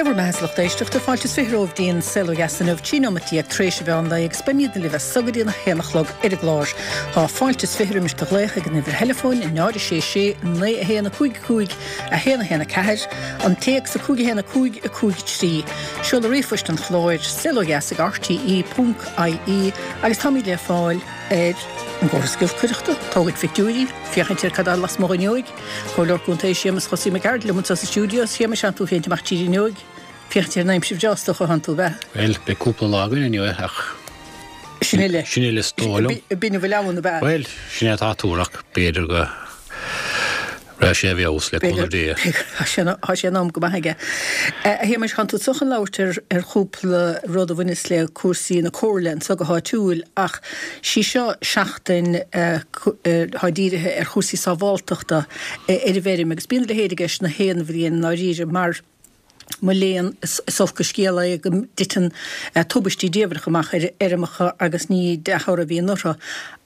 Dé bhur mbeatha a lucht éisteachta, fáilte is 20 romhaibh dtí'n Saol Ó Dheas inniu, 13 nóimeat tar éis an mheán lae agus beimídne libh as so go dtí an 1 a chlog ar an gclár. Tá fáilte is 20 roimis do ghlaoch ag an uimhir theileafóin, 0 6 6 9 1 5 5 1 1 4, an téacs 5 1 5 5 3. Seoladh ríomhphoist an chláir, saolodheas ag rte ponc ie agus táimid le fáil ar an gcóras giolcaireachta, tógaint phictiúirí, féachaint ar cad tá lasmuigh an fhuinneoig. Comhairleoir Contae Séamus Chosaí Mac Gearailt liom anseo sa stiúideo. A Shéamais, tánn tú féin amach tríd an fhuinneoig, féachaint ar an aimsir bhreá is dócha, thánn tú, ab ea? Bhuel, beidh cúpla lá againn inniu ach. Sin uile. Sin uile is dóigh liom. B'in a bhfuil ann, ab ea? Bhuel, sin é atá á tuar ach b'fhéidir go raibh sé i bhfeabhas le cúnamh Dé. Tá sé in am go maith aige. A Shéamais, thánn tú anseo chun labhairt ar ar chúpla rud a bhaineas le cúrsaí na comhairle anseo go háitiúil ach sí seo seachtain atá dírithe ar chúrsaí sábháltachta ar an bhfeirm agus bíonn a leithéid i gceist na haon bhliain i ndáiríre mar mo léan is olc an scéal é go dtiteann tubaistí diamhrach amach ar fheirmeacha agus ní dea-thoradh a bhíonn orthu.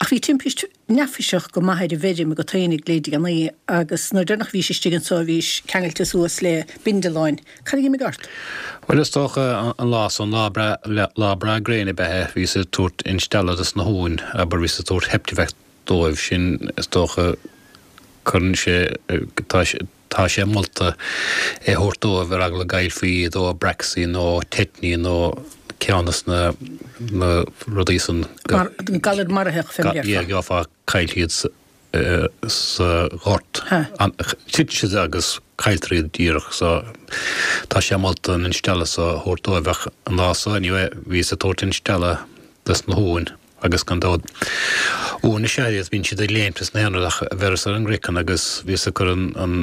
Ach bhí timpist neafaiseach go maith ar an bhfeirm agat fhéinig le déanaí agus nuair deireanach a bhís istigh anso bhís ceangailte suas le bindealáin. Cad a dh'imigh ort? Bhuel is dócha an lá san, lá breá, lá breá gréine ab ea é, bhíos ag tabhairt instealladh dos na huain, abair, bhíos ag tabhairt Heptavac dóibh, sin is dócha cuireann sé, tá sé, tá sé molta é thabhairt dóibh ar eagla go gcaillfí iad ó braxy nó teitní nó ceann dos na, na rudaí san go. Mar, galar maraitheach fé mar a déarfá. Yeah, gheofá caillfí iad sa. sa ghort. Titeann siad agus cailltear iad díreach so tá sé molta an instealladh so a thabhairt dóibh ach an lá so anyway bhíos ag tabhairt instealladh dos na huain agus gan dabht uain is ea iad bíonn siad ag léimt is na haon rud ach bheireas ar an gcraiceann agus bhíos ag cur an an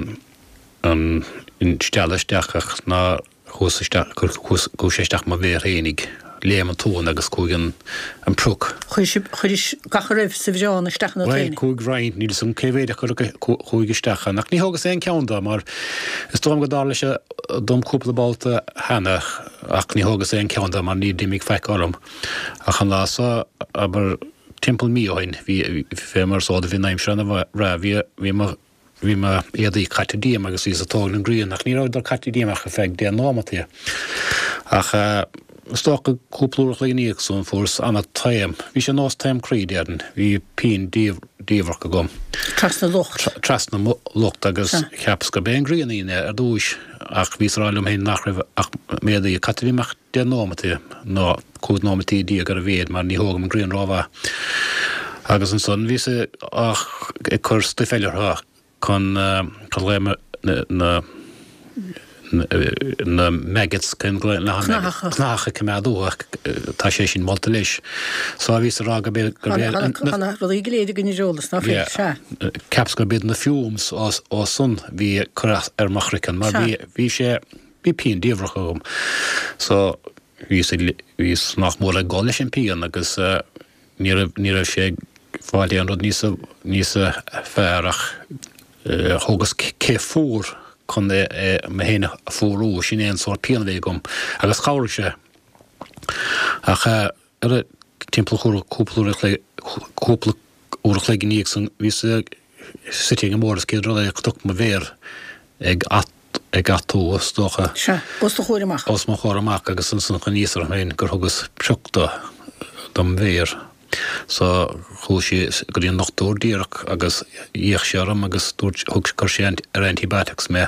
an instealladh isteach ach ná Chuas isteach, chuaigh sé isteach mo mhéar fhéinig, léim an t-uan agus chuaigh an, an prioc. Chuir sib, chuiris gach a raibh sa bhreán isteach ionat Bhuel, féinig. chuaigh roinnt, níl 'fhios agam cé mhéid acu a chuaigh isteach ann, ach ní thógas aon ceann dó, mar is dóigh liom go dtarla sé dom cúpla babhta cheana, ach ní thógas aon ceann dó mar ní d'imigh faic orm. Ach an lá so, abair, timpeall mí ó shin, bhí, fé mar is eol duit, bhí an aimsir ana-bhreá, bhí, bhí mo, Bhí mo éadaí caite díom agus bhíos ag tógaint an ghrian ach ní rabhadar caite díom ach ar feadh 10 nóimeataí. Ach is dócha cúpla uair a chloig ina dhiaidh san fuaireas ana-taom. Bhí sé nós taom croí déarfainn. Bhí pian diamhrach agam. Trasna lucht. Trasna mo lucht agus cheapas gurb é an ghrian a dhein é ar dtúis ach bhíos ag rá liom féin nach raibh ach m'éadaí caite díom ach 10 nóimeataí nó 15 nóimeataí ar a mhéad mar ní thógaim an ghrian rómhaith. Agus ansan bhíos ag cur stuif eile orthu chun chun na na maggots Cnathacha. cnathacha a choimeád uathu tá sé sin molta leis. So bhíos ag rá gurb é gurb é Tá na rudaí go léir againn ar eolas ná fuil? Sea. Cheapas gurb iad na fumes ó san bhí ag cur as ar mo chraiceann mar bhí bhí sé Bhí pian diamhrach agam so bhíos ag, bhíos nach mór ag gol leis an pian agus ní raibh, ní raibh sé ag fáil aon rud níos, níos fearr ach thógas cith fuar chun é, é, mé féin a fuarú, sin é an sórt pian a bhí agam agus chabhraigh sé. Ach ar timpeall cúpla uair a chloig, cúpla uair a chloig ina dhiaidh san bhíos suite ag an mbord is céad rud é chonac mo mhéar ag ag atú is dócha. Sea, os do chomhair amach. Os mo chomhair amach agus ansan chuimhníos orm féin gur thugas prioc do dom mhéar. So chuas síos go dtí an dochtúir díreach agus d'fhéach sé orm agus dúirt, thug, chuir sé ar antibiotics mé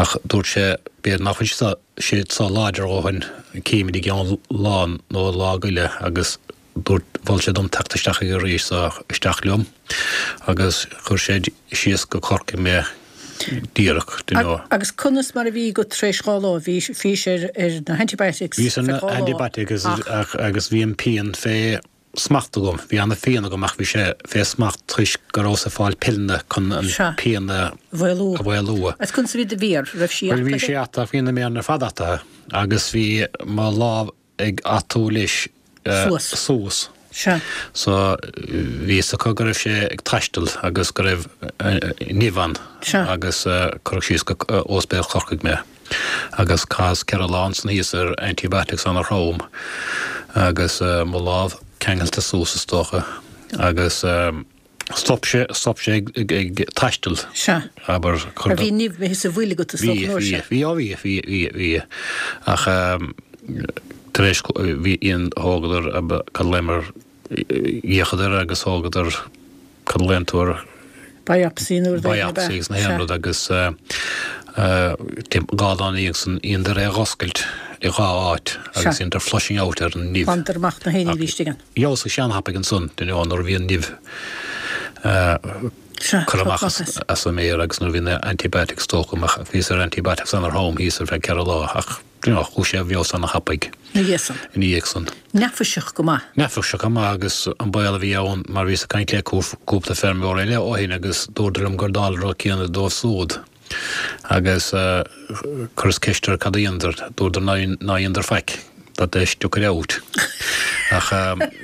ach dúirt sé b'fhéidir nach bhfuil siad so láidir a dhóthain, címid i gceann lá nó lá go leith agus dúirt, mhol sé dom teacht isteach aige arís so isteach liom agus chuir sé síos go Corcaigh mé díreach, do you know. Agus conas mar a bhí agat tar éis 2 lá? Bhí, bhís ar, ar na antibiotics Bhíos ar na antibiotics ach. agus bhí an pian fé smacht agam. Bhí ana-phian agam ach bhí sé fé smacht toisc go rabhas ag fáil pilleanna chun an pian a mhaolú. a mhaolú. Agus conas a bhí do mhéar? Raibh sí Bhuel bhí sé ataithe, bhí na méaranna ar fad ataithe agus bhí mo lámh ag atú leis Suas. suas. Sea. So bhí fhios acu go raibh sé ag taisteal agus go raibh nimh ann. Sea. Agus cuireadh síos go Ospidéal Chorcaigh mé. Agus chaitheas 4 lá ansan thíos ar antibiotics ana-throm agus mo lámh ceangailte suas is dócha agus. Stop sé, stop sé ag, ag, ag taisteal. Sea. Abair, Mar bhí nimh imithe sa bhfuil agat is dócha an uair sin. Bhí, bhí, bhí, bhí, bhí, bhí. Ach tar éis, bhí, thógadar, cad a glaomar, d'fhéachadar agus thógadar, cad a ghlaonn tú air? Biopsy nó rud éigin ab ea? Biopsy agus na haon rud agus 2 lá ina dhiaidh san dheineadar é a dh'oscailt i 2 áit agus dheineadar flushing out ar an nimh. Ghlanadar amach na haon ní a bhí istigh ann. Fheabhsaigh sé an-thapaidh ansan, you know, nuair a bhí an nimh curtha amach as an méar agus nuair a bhí na antibiotics tógtha amach, bhíos ar antibiotics ana-throm thíos ar feadh 4 lá ach you know, chuaigh sé i bhfeabhas ana-thapaidh. Ina dhiaidh san. Ina dhiaidh san. Neafaiseach go maith. Neafaiseach go maith agus an baol a bhí ann mar bhíos ag caint le cúpla feirmeoir eile ó shin agus dúradar liom gur dála an rud céanna dóibh súd. Agus chuireas ceist orthu cad a dheineadar, dúradar ná dheineadar faic, that they stuck it out. Ach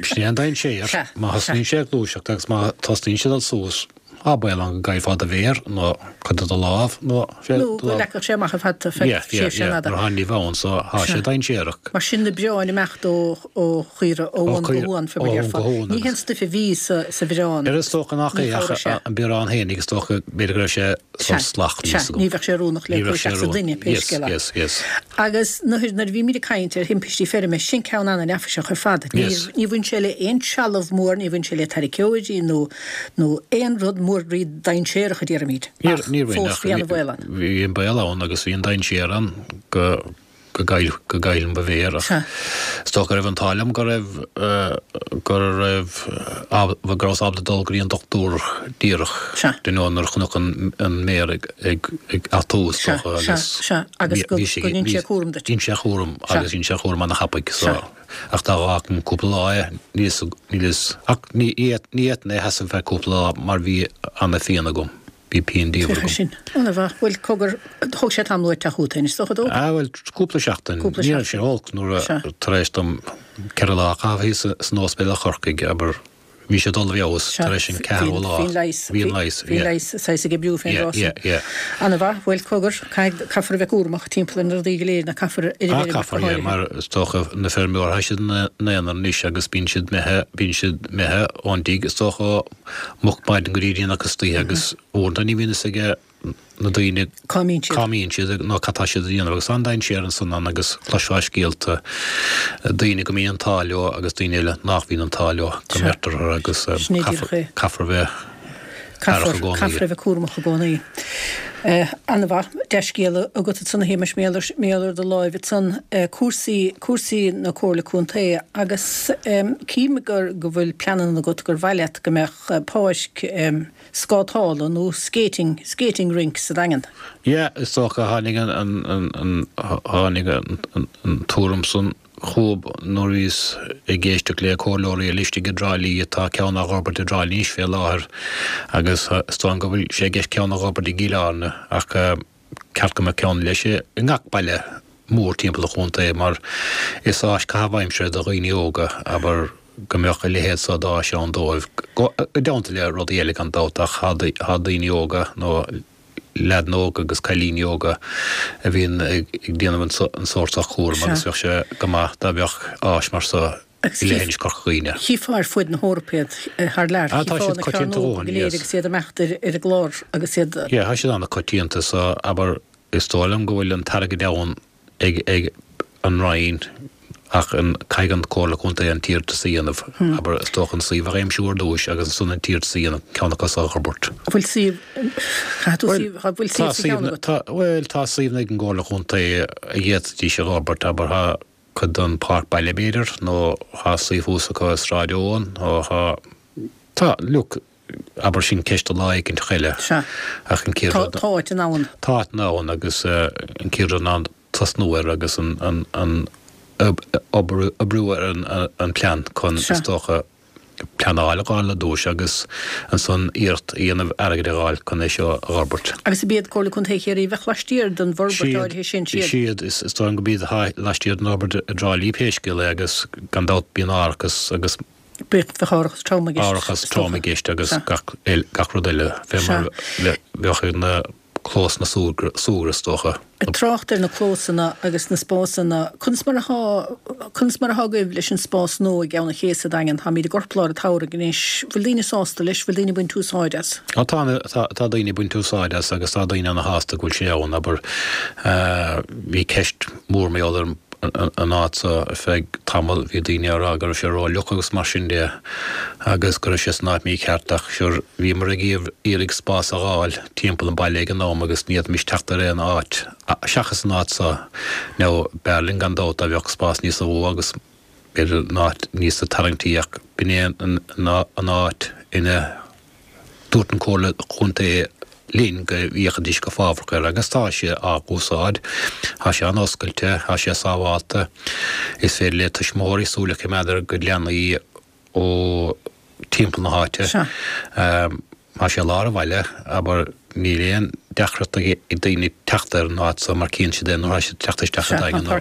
sin é an dainséar, má thosnaíonn sé ag gluaiseacht agus má thosnaíonn sé ag dul suas, Tá baol ann go gcaillfeá do mhéar nó cuid de do lámh nó Nó go leagfadh sé amach ar fad tú feadh tréimhse an-fhada. Nuair atá an nimh ann so tá sé dainséarach. Mar sin na bioráin ag imeacht ó chaora ó uan go huan fé mar a déarfá. Ní haon stuif a bhí sa bhiorán. Is dócha nach é ach an biorán féinig is dócha b'fhéidir go raibh sé sórt salach níl 'fhios agam. Ní bheadh sé oiriúnach le cur isteach sa duine pé scéal é. Agus nuair a bhímid ag caint ar thimpistí feirme, sin ceann ana-neafaiseach ar fad. Ní bhain sé le aon trealamh mór, ní bhain sé le tarraiceoirí nó nó aon rud mór rí-dainséarach a déarfaimid, ach fós bhí ana-bhaol ann. Bhí an baol ann agus bhí an dainséar ann go go gcaillfinn mo mhéar ach is dócha go raibh an t-ádh liom go raibh go raibh go rabhas ábalta dul go dtí an dochtúir díreach you know nuair a chonac an an méar ag ag ag atú is dócha agus agus go ndein sé cúram duit. Dhein sé cúram agus dhein sé cúram ana-thapaidh so. Ach dá bhfágfainn cúpla lá é, níl fhios, ach ní fhéadfainn é a sheasamh feadh cúpla lá mar bhí ana-phian agam, bhí pian diamhair agam. Sin ana-mhaith. Bhuel, cogar, thóg sé tamall uait teacht chugat féin, is dócha dó? Ah, bhuel, cúpla seachtain. Cúpla seachtain. Ní raibh sé olc nuair a, tar éis dom 4 lá a chaitheamh thíos san ospidéal i Chorcaigh, abair, Bhí sé ag dul i bhfeabhas tar éis an ceathrú lá. Bhí an leigheas. Bhí an leigheas. Bhí an leigheas saghas ag oibriú fén dtráth sin. Yeah, yeah. Ana-mhaith. Bhuel, cogar, caithfidh, caithfear a bheith cúramach timpeall ar na rudaí go léir, nó caithfear ar an bhfeirm ach go háirithe. Ah, caithfear, yeah, mar is dócha na feirmeoirí, tá siad ina n-aonar anois agus bíonn siad imithe, bíonn siad imithe ón dtigh is dócha ó moch maidin go dtí déanach istoíche agus uaireanta ní bhíonn fhios ag na daoine cá mbíonn siad, cá mbíonn siad nó cad tá siad a dhéanamh agus tá an dainséar ansan ann agus chloisfeá scéalta daoine go mbíonn an t-ádh leo agus daoine eile nach mbíonn an t-ádh leo go mbeirtear orthu agus caithfear a bheith aireach i gcónaí. Caithfear a bheith cúramach i gcónaí. Ana-mhaith, dea-scéala agat ansan a Shéamais, mar gheall ar do láimh ansan, cúrsaí, cúrsaí na Comhairle Contae agus cím gur, go bhfuil pleananna agat gur mhaith leat go mbeadh páirc, scátála nó skating, skating rink sa Daingean. Yeah, is dócha, tháinig an, an, an, tháinig an, an, an tuairim san chugam nuair a bhíos ag éisteacht le comhairleoirí eile istigh i dTrá Lí, tá ceann á dh'fhorbairt i dTrá Lí anois fé láthair agus is dóigh liom go bhfuil sé i gceist ceann a dh'fhorbairt i gCill Airne ach ceart go mbeadh ceann leis i ngach baile mór timpeall an chontae mar is áis caitheamh aimsire do dhaoine óga, abair, go mbeadh a leithéid so d'áis ann dóibh, i dteannta le rudaí eile gan dabht ach tá daoine óga nó leaideanna óga agus cailíní óga a bhíonn ag déanamh an sórt so cúraim agus bheadh sé go maith dá mbeadh áis mar so i leithinis Chorca Dhuibhne. Chífeá ar fuaid na hEorpa iad thar lear, Ah, tá siad coitianta a go léir agus iad ag imeacht ar an gclár agus iad. Yeah, tá siad ana-coitianta so abair is dóigh liom go bhfuil an t-airgead ann ag ag an Roinn ach an caithfidh an Comhairle Contae an t-iarratas a dhéanamh, abair, is dócha an suíomh a aimsiú ar dtúis agus ansan an t-iarratas a dhéanamh ceann acu so a fhorbairt. An bhfuil suíomh, caithfidh tú suíomh, an bhfuil suíomh sa cheann agat? Tá, bhuel, tá suíomhanna ag an gComhairle Contae a d'fhéadfaidís a fhorbairt, abair, tá cuid den Páirc Baile b'fhéidir nó tá suíomh thuas acu i Sráid Eoin nó tá, tá, look, abair sin ceist do lá éicint eile. Sea. Ach an chéad rud. Tá áit ann. Tá áit ann agus an chéad rud ná tosnú air agus an, an, an obair, oibriú ar an, an plean chun, is dócha, pleanáil a fháil ar dtúis agus ansan iarracht a dhéanamh airgead a fháil chun é seo a fhorbairt. Agus ab iad Comhairle Contae Chiarraí a bheadh laistiar den bhforbairt áirithe sin, siad. Siad, is dóigh liom go b'iad atá laistiar den fhorbairt i dTrá Lí pé scéal é agus gan dabht bíonn árachas agus Bheadh árachas trom i gceist. Árachas trom i gceist agus gach rud eile fé mar a bheadh ag na. clós na súgradh is dócha. Ag trácht ar na clósanna agus na spásanna, conas mar atá, conas mar atá agaibh leis an spás nua i gCeann an Ché sa Daingean? Táimid i gcorplár an tsamhraidh anois. Bhfuil daoine sásta leis? Bhfuil daoine ag baint úsáid as? Tá, tá, tá daoine ag baint úsáid as agus tá daoine ana-shásta go bhfuil sé ann. Abair, bhí ceist mhór mar gheall ar an áit so ar feadh tamaill, bhí daoine á rá go raibh sé ró-fhliuch agus mar sin de agus go raibh sé san áit mícheart ach sure bhíomar ag iarraidh spás a dh'fháil timpeall an bhaile ag an am agus ní fhéadfaimis teacht ar aon áit seachas an áit so. Now b'fhearr linn gan dabht dá bheadh spás níosa mhó agus b'fhéidir an áit níosa tarraingtí ach b'in é an áit ina dúirt an Comhairle Chontae linn go bhféachfaidís go fábhrach air agus tá sé á úsáid. Tá sé an-oscailte, tá sé sábhálta. Is féidir le tuismitheoirí súil a choimeád ar a gcuid leanaí ó timpeall na háite. Tá sé i lár an bhaile, abair, níl aon deacracht ag daoine teacht ar an áit so mar cíonn siad é nuair atá siad ag teacht isteach an Daingean nó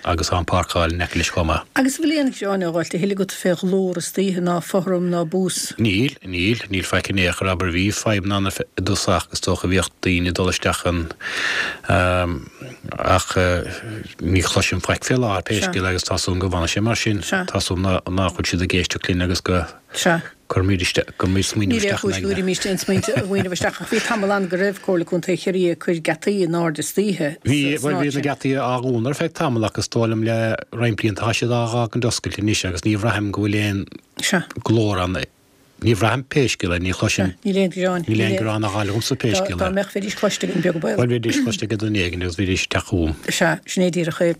agus tá an páirceáil in aice leis chomh maith. Agus an bhfuil aon ghearán á dh'fháilt a thuilleadh agat fé ghlór istoíche ná fothram ná bús? Níl, níl, níl faic in aon chor, abair, bhí fadhbanna ann i dtosach is dócha bhíodh daoine ag dul isteach ann ach ní chloisim faic fé láthair pé scéal é agus tá súil agam go bhfanfaidh sé mar sin, tá súil agam nach bhfuil siad ag éisteacht linn agus go gcuirfimid isteach, gcuirfimid smaoineamh Níl aon isteach chúis in go aigne. gcuirfimíst aon smaoineamh isteach ach bhí tamall ann go raibh Comhairle Contae Chiarraí ag cur geataí in airde istoíche Bhí, san bhuel áit bhí na sin. geataí á dhúnadh ar feadh tamaill ach is dóigh liom le roinnt blianta tá siad á dh'fhágaint oscailte anois agus ní bhraithim go bhfuil aon Sea. glór ann. Ní bhraithim pé scéal é, ní chloisim. Níl aon ghearán. Níl aon ghearán á dh'fháil agamsa pé scéal é. Dá mbeadh, bheidís cloiste againn, beag an baol. Bhuel, bheidís cloiste ag duine éigin agus bheidís ag teacht chugam. Sea, sin é díreach é.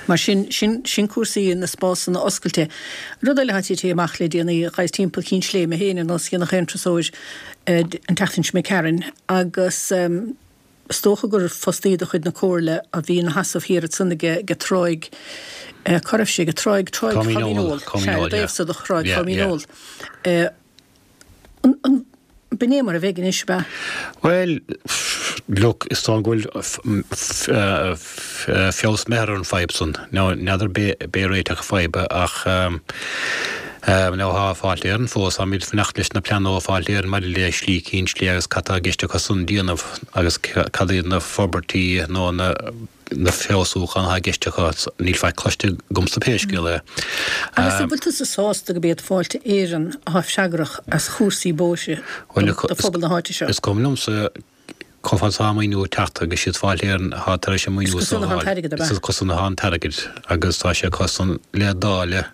Mar sin, sin, sin cúrsaí na spásanna oscailte. Rud eile atá tite amach le déanaí, ghabhas timpeall Chinn Sléibhe mé féin ar nós a dhéanfadh aon turasóir an tseachtain seo imigh tharainn agus, Is dócha gur fostaí de chuid na Comhairle a bhí ina sheasamh thiar ansan ag Tráigh, cá raibh sé, ag Tráigh, Tráigh Choimín Óil, sea, ar an dtaobh so de Thráigh Choimín Óil. An, b'in é mar a bheidh anois, ab ea? Bhuel, look, is dóigh go bhfuil feabhas imithe ar an fadhb san. Now, n'fheadar b'é réiteach an fadhba ach now tá Fáilte Éireann fós, táimid ag fanacht leis na pleananna ó Fáilte Éireann maidir le Slí Cinn Sléibhe agus cad tá i gceist acu san déanamh agus cad iad na forbairtí nó na na feabhsúcháin atá i gceist acu. Níl faic cloiste agamsa pé scéal é. Agus an bhfuil tusa sásta go b'iad Fáilte Éireann atá freagrach as chúrsaí bóithre do phobal na háite seo? Is cuma liomsa Chomh fada is atá an maoiniú ag teacht agus siad Fáilte Éireann atá tar éis an maoiniú Is so acu a san atá an fháil. t-airgead, ab Is ea? acu san atá an t-airgead agus tá sé acu san le dáileadh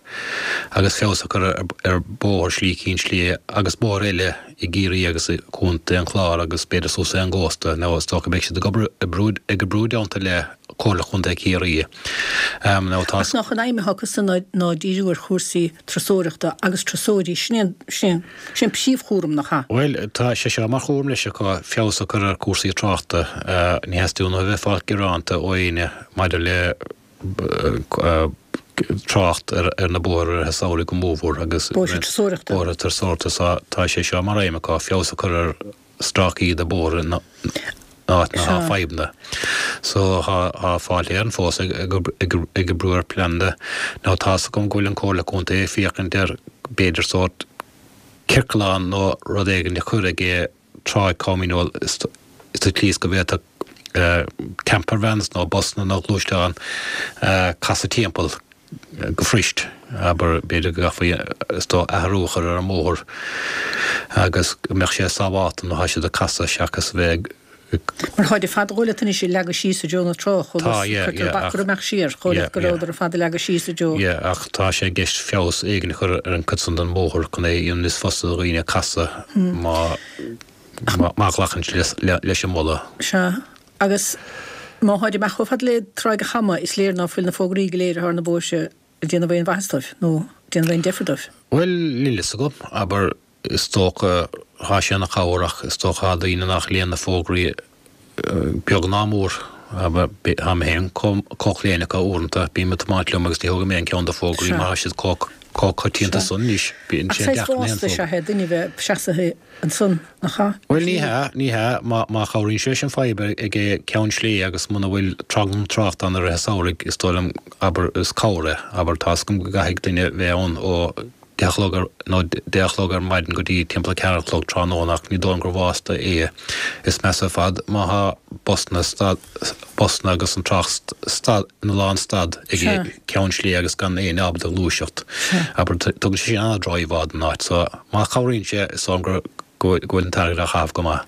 agus feabhas a chur ar bhóthar Slí Cinn Sléibhe agus bóithre eile i gCiarraí agus i gContae an Chláir agus b'fhéidir suas ag an gcósta. Now is dócha beidh siad ag obair ag oibriú i dteannta le Comhairle Chontae Chiarraí. Now tá. Ach nach an aidhm atá acu san ná díriú ar chúrsaí turasóireachta agus turasóirí, sin é an, sin é an, sin é an príomhchúram, nach ea? Bhuel, tá sé seo mar chúram leis acu, feabhas a chur ar chúrsaí tráchta. Ní theastaíonn uathu a bheith ag fáil gearánta ó éinne maidir le trácht ar na bóithre i rith an samhraidh go mórmhór agus Bóithre turasóireachta. bóithre turasóireachta. So tá sé seo mar aidhm acu, feabhas a chur ar stráicí de bóithre in áit ina tá fadhbanna. So tá Fáilte Éireann fós ag oibriú ar pleananna. Now tá's agam go bhfuil an Comhairle Contae ag féachaint ar b'fhéidir sórt ciorclán nó rud éigin a chur ag Tráigh Choimín Óil sa tslí is go bhféadfadh camper vans nó busanna nó gluaisteáin casadh timpeall go fuirist. Abair, b'fhéidir go gcaithfí is dóigh athrú a chur ar an mbóthar agus go mbeadh sé sábhálta nuair atá siad ag casadh seachas a bheith ag Mar táid ar fad a dhul leat anois ag leagadh síos i dtreo na trá, chomh Tá, yeah, cuirtear yeah, bac ach, orthu imeacht siar, chomh yeah, leat go yeah. rabhadar ar fad ag leagadh síos i dtreo. Yeah, ach tá sé i gceist feabhas éigin a chur ar an gcuid san den mbóthar chun é a dhéanamh níos fusa do dhaoine casadh má, má ghlacann siad leis an moladh. Sea, agus má tháid amach chomh fada le Tráigh a' Chama, is léir ná fuil na fógraí go léir atá ar na bóithre ag déanamh aon mhaitheas dóibh, nó déanamh aon deifir dóibh. Bhuel, níl fhios agam, abair, Is dócha, thá sé ina chabhair ach is dócha thá daoine nach léann na fógraí beag ná mór. Thá mé féin chomh claon acu uaireanta. Bím ag tiomáint liom agus ní thógaim aon cheann de fógraí mar thá siad chomh coitianta san anois. Bíonn Ach sé saghas deacair aon vásta is ea é duine bheith seasaithe ansan, nach ea? Bhuel ní hea, ní hea. Má chabhraíonn sé leis an fadhb ag Ceann Sléibhe agus muna bhfuil tranglam tráchta ann i rith an samhraidh, is dóigh liom, abair, is cabhair é. Abair, tá's agam go gcaithfidh duine bheith ann ó. 10 a chlog ar, nó 10 a chlog ar maidin go dtí timpeall a 4 a chlog tráthnóna ach ní dóigh liom gur bhásta é. Is measa ar fad má thá busanna stad, busanna agus an trácht stad, ina lán stad ag ceann slí agus gan éinne ábalta gluaiseacht. Abair, tugann sé sin an-droch-íomhá don áit so má chabhraíonn sé is dóigh liom gur, go bhfuil an t-airgead á chaitheamh go maith.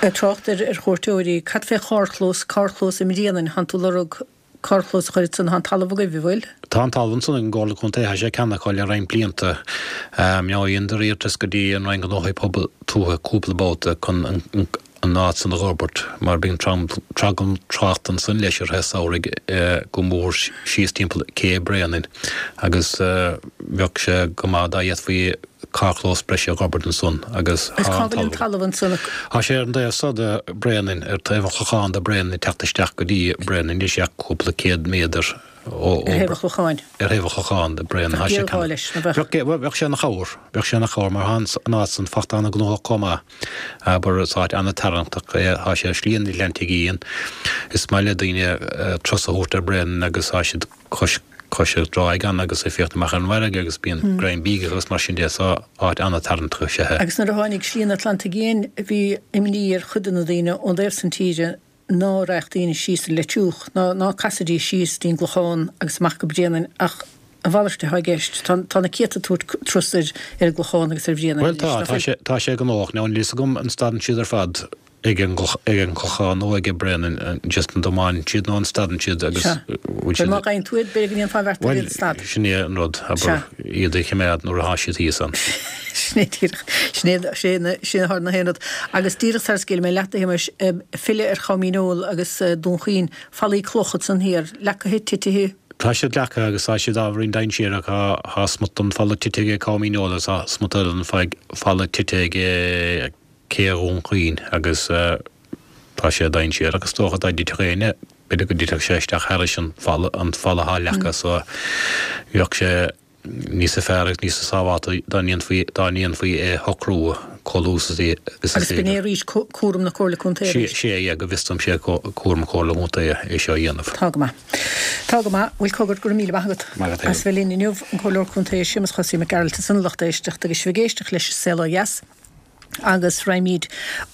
Ag trácht ar chuairteoirí, cad fé charrchlós, carrchlós i mBréanainn, thánn tú lorg carrchlós a chur ansan, thá an talamh agaibh, an bhfuil? Tá an talamh ansan ag an gComhairle Contae, thá sé ceannaithe acu le roinnt blianta. Now dheineadar iarratas go dtí an Roinn Gnóthaí Pobail Tuaithe cúpla babhta chun an áit san a dh'fhorbairt mar bíonn tranglam tráchta ansan leis i rith an samhraidh go mór síos timpeall cé Bréanainn agus bheadh sé go maith dá bhféadfaí carrchlós breise a dh'fhorbairt ansan agus Is cá bhfuil an talamh ansan? Tá sé ar an dtaobh so de Bréanainn, ar taobh an Chlocháin de Bréanainn ag teacht isteach go dtí Bréanainn, níl sé ach cúpla céad méadar ó Ar thaobh an Chlocháin? Ar thaobh an Chlocháin de Bréanainn. Bheadh géarghá leis, nó bheadh? Bheadh, bheadh sé ina chabhair, bheadh sé ina chabhair mar thá an áit san fachta an-ghnóthach chomh maith. Abair, is áit an-tarraingteach é, thá sé ar Shlí an Atlantaigh Fhiáin. Is maith le daoine turas a thabhairt ar Bréanainn agus thá siad cois cois an dtráigh ann agus ag féachaint amach ar an bhfarraige agus bíonn greim bídh agus mar sin de so áit an-tarraingteach is ea é. Agus nuair a tháinig Slí an Atlantaigh Fhiáin bhí imní ar chuid de na daoine ón dtaobh san tíre ná raghadh daoine síos an Leitriúch ná ná casfaidís síos dtí'n gClochán agus amach go Bréanainn ach a mhalairt atá i gceist. Tá tá na céadta ag tabhairt turas ar ar an gClochán agus ar Bhréanainn Bhuel tá, tá sé tá sé gnóthach. Now níl fhios agam an stadann siad ar fad ag an ag an gClochán nó ag Bréanainn just an dtiomáineann siad nó an stadann siad agus Sea. bhfuil siad Má gheibheann tú iad, b'fhéidir go ndéanfá an bheart ar iad stad. Bhuel, sin é an rud, abair, iad a choimeád nuair atá siad thíos ann. Sin é díreach, sin é, sin é, sin é na haon rud. Agus díreach sara scaoilfidh mé leat, a Shéamais, filleadh ar Chom Dhíneol agus Dún Chaoin, fallaí cloch ansan thiar, leacaithe, titithe? Tá siad leacaithe agus tá siad ábhairín dainséarach. Tá smut den falla tite ag Com Dhíneol agus tá smut eile den falla tite ag Cé Dhún Chaoin agus tá sé dainséarach is dócha dá dtitfeadh éinne, b'fhéidir go dtitfeadh sé isteach thairis an falla, an falla atá leagtha so bheadh sé níosa fearr agus níosa sábhálta dá ndéanfaí, dá ndéanfaí é a shocrú chomh luath is is Agus b'in é arís cúram na Comhairle Contae arís. Sé, é, go bhfios dom sé cúram Chomhairle Contae é seo a dhéanamh. Tá go maith. Tá go maith. Bhuel cogar, go raibh míle maith agat as bheith linn inniu, an Comhairleoir Contae Séamus Chosaí Mac Gearailt ansan a lucht éisteachta agus sibh ag éisteacht leis An Saol Ó Dheas. Agus raghaimid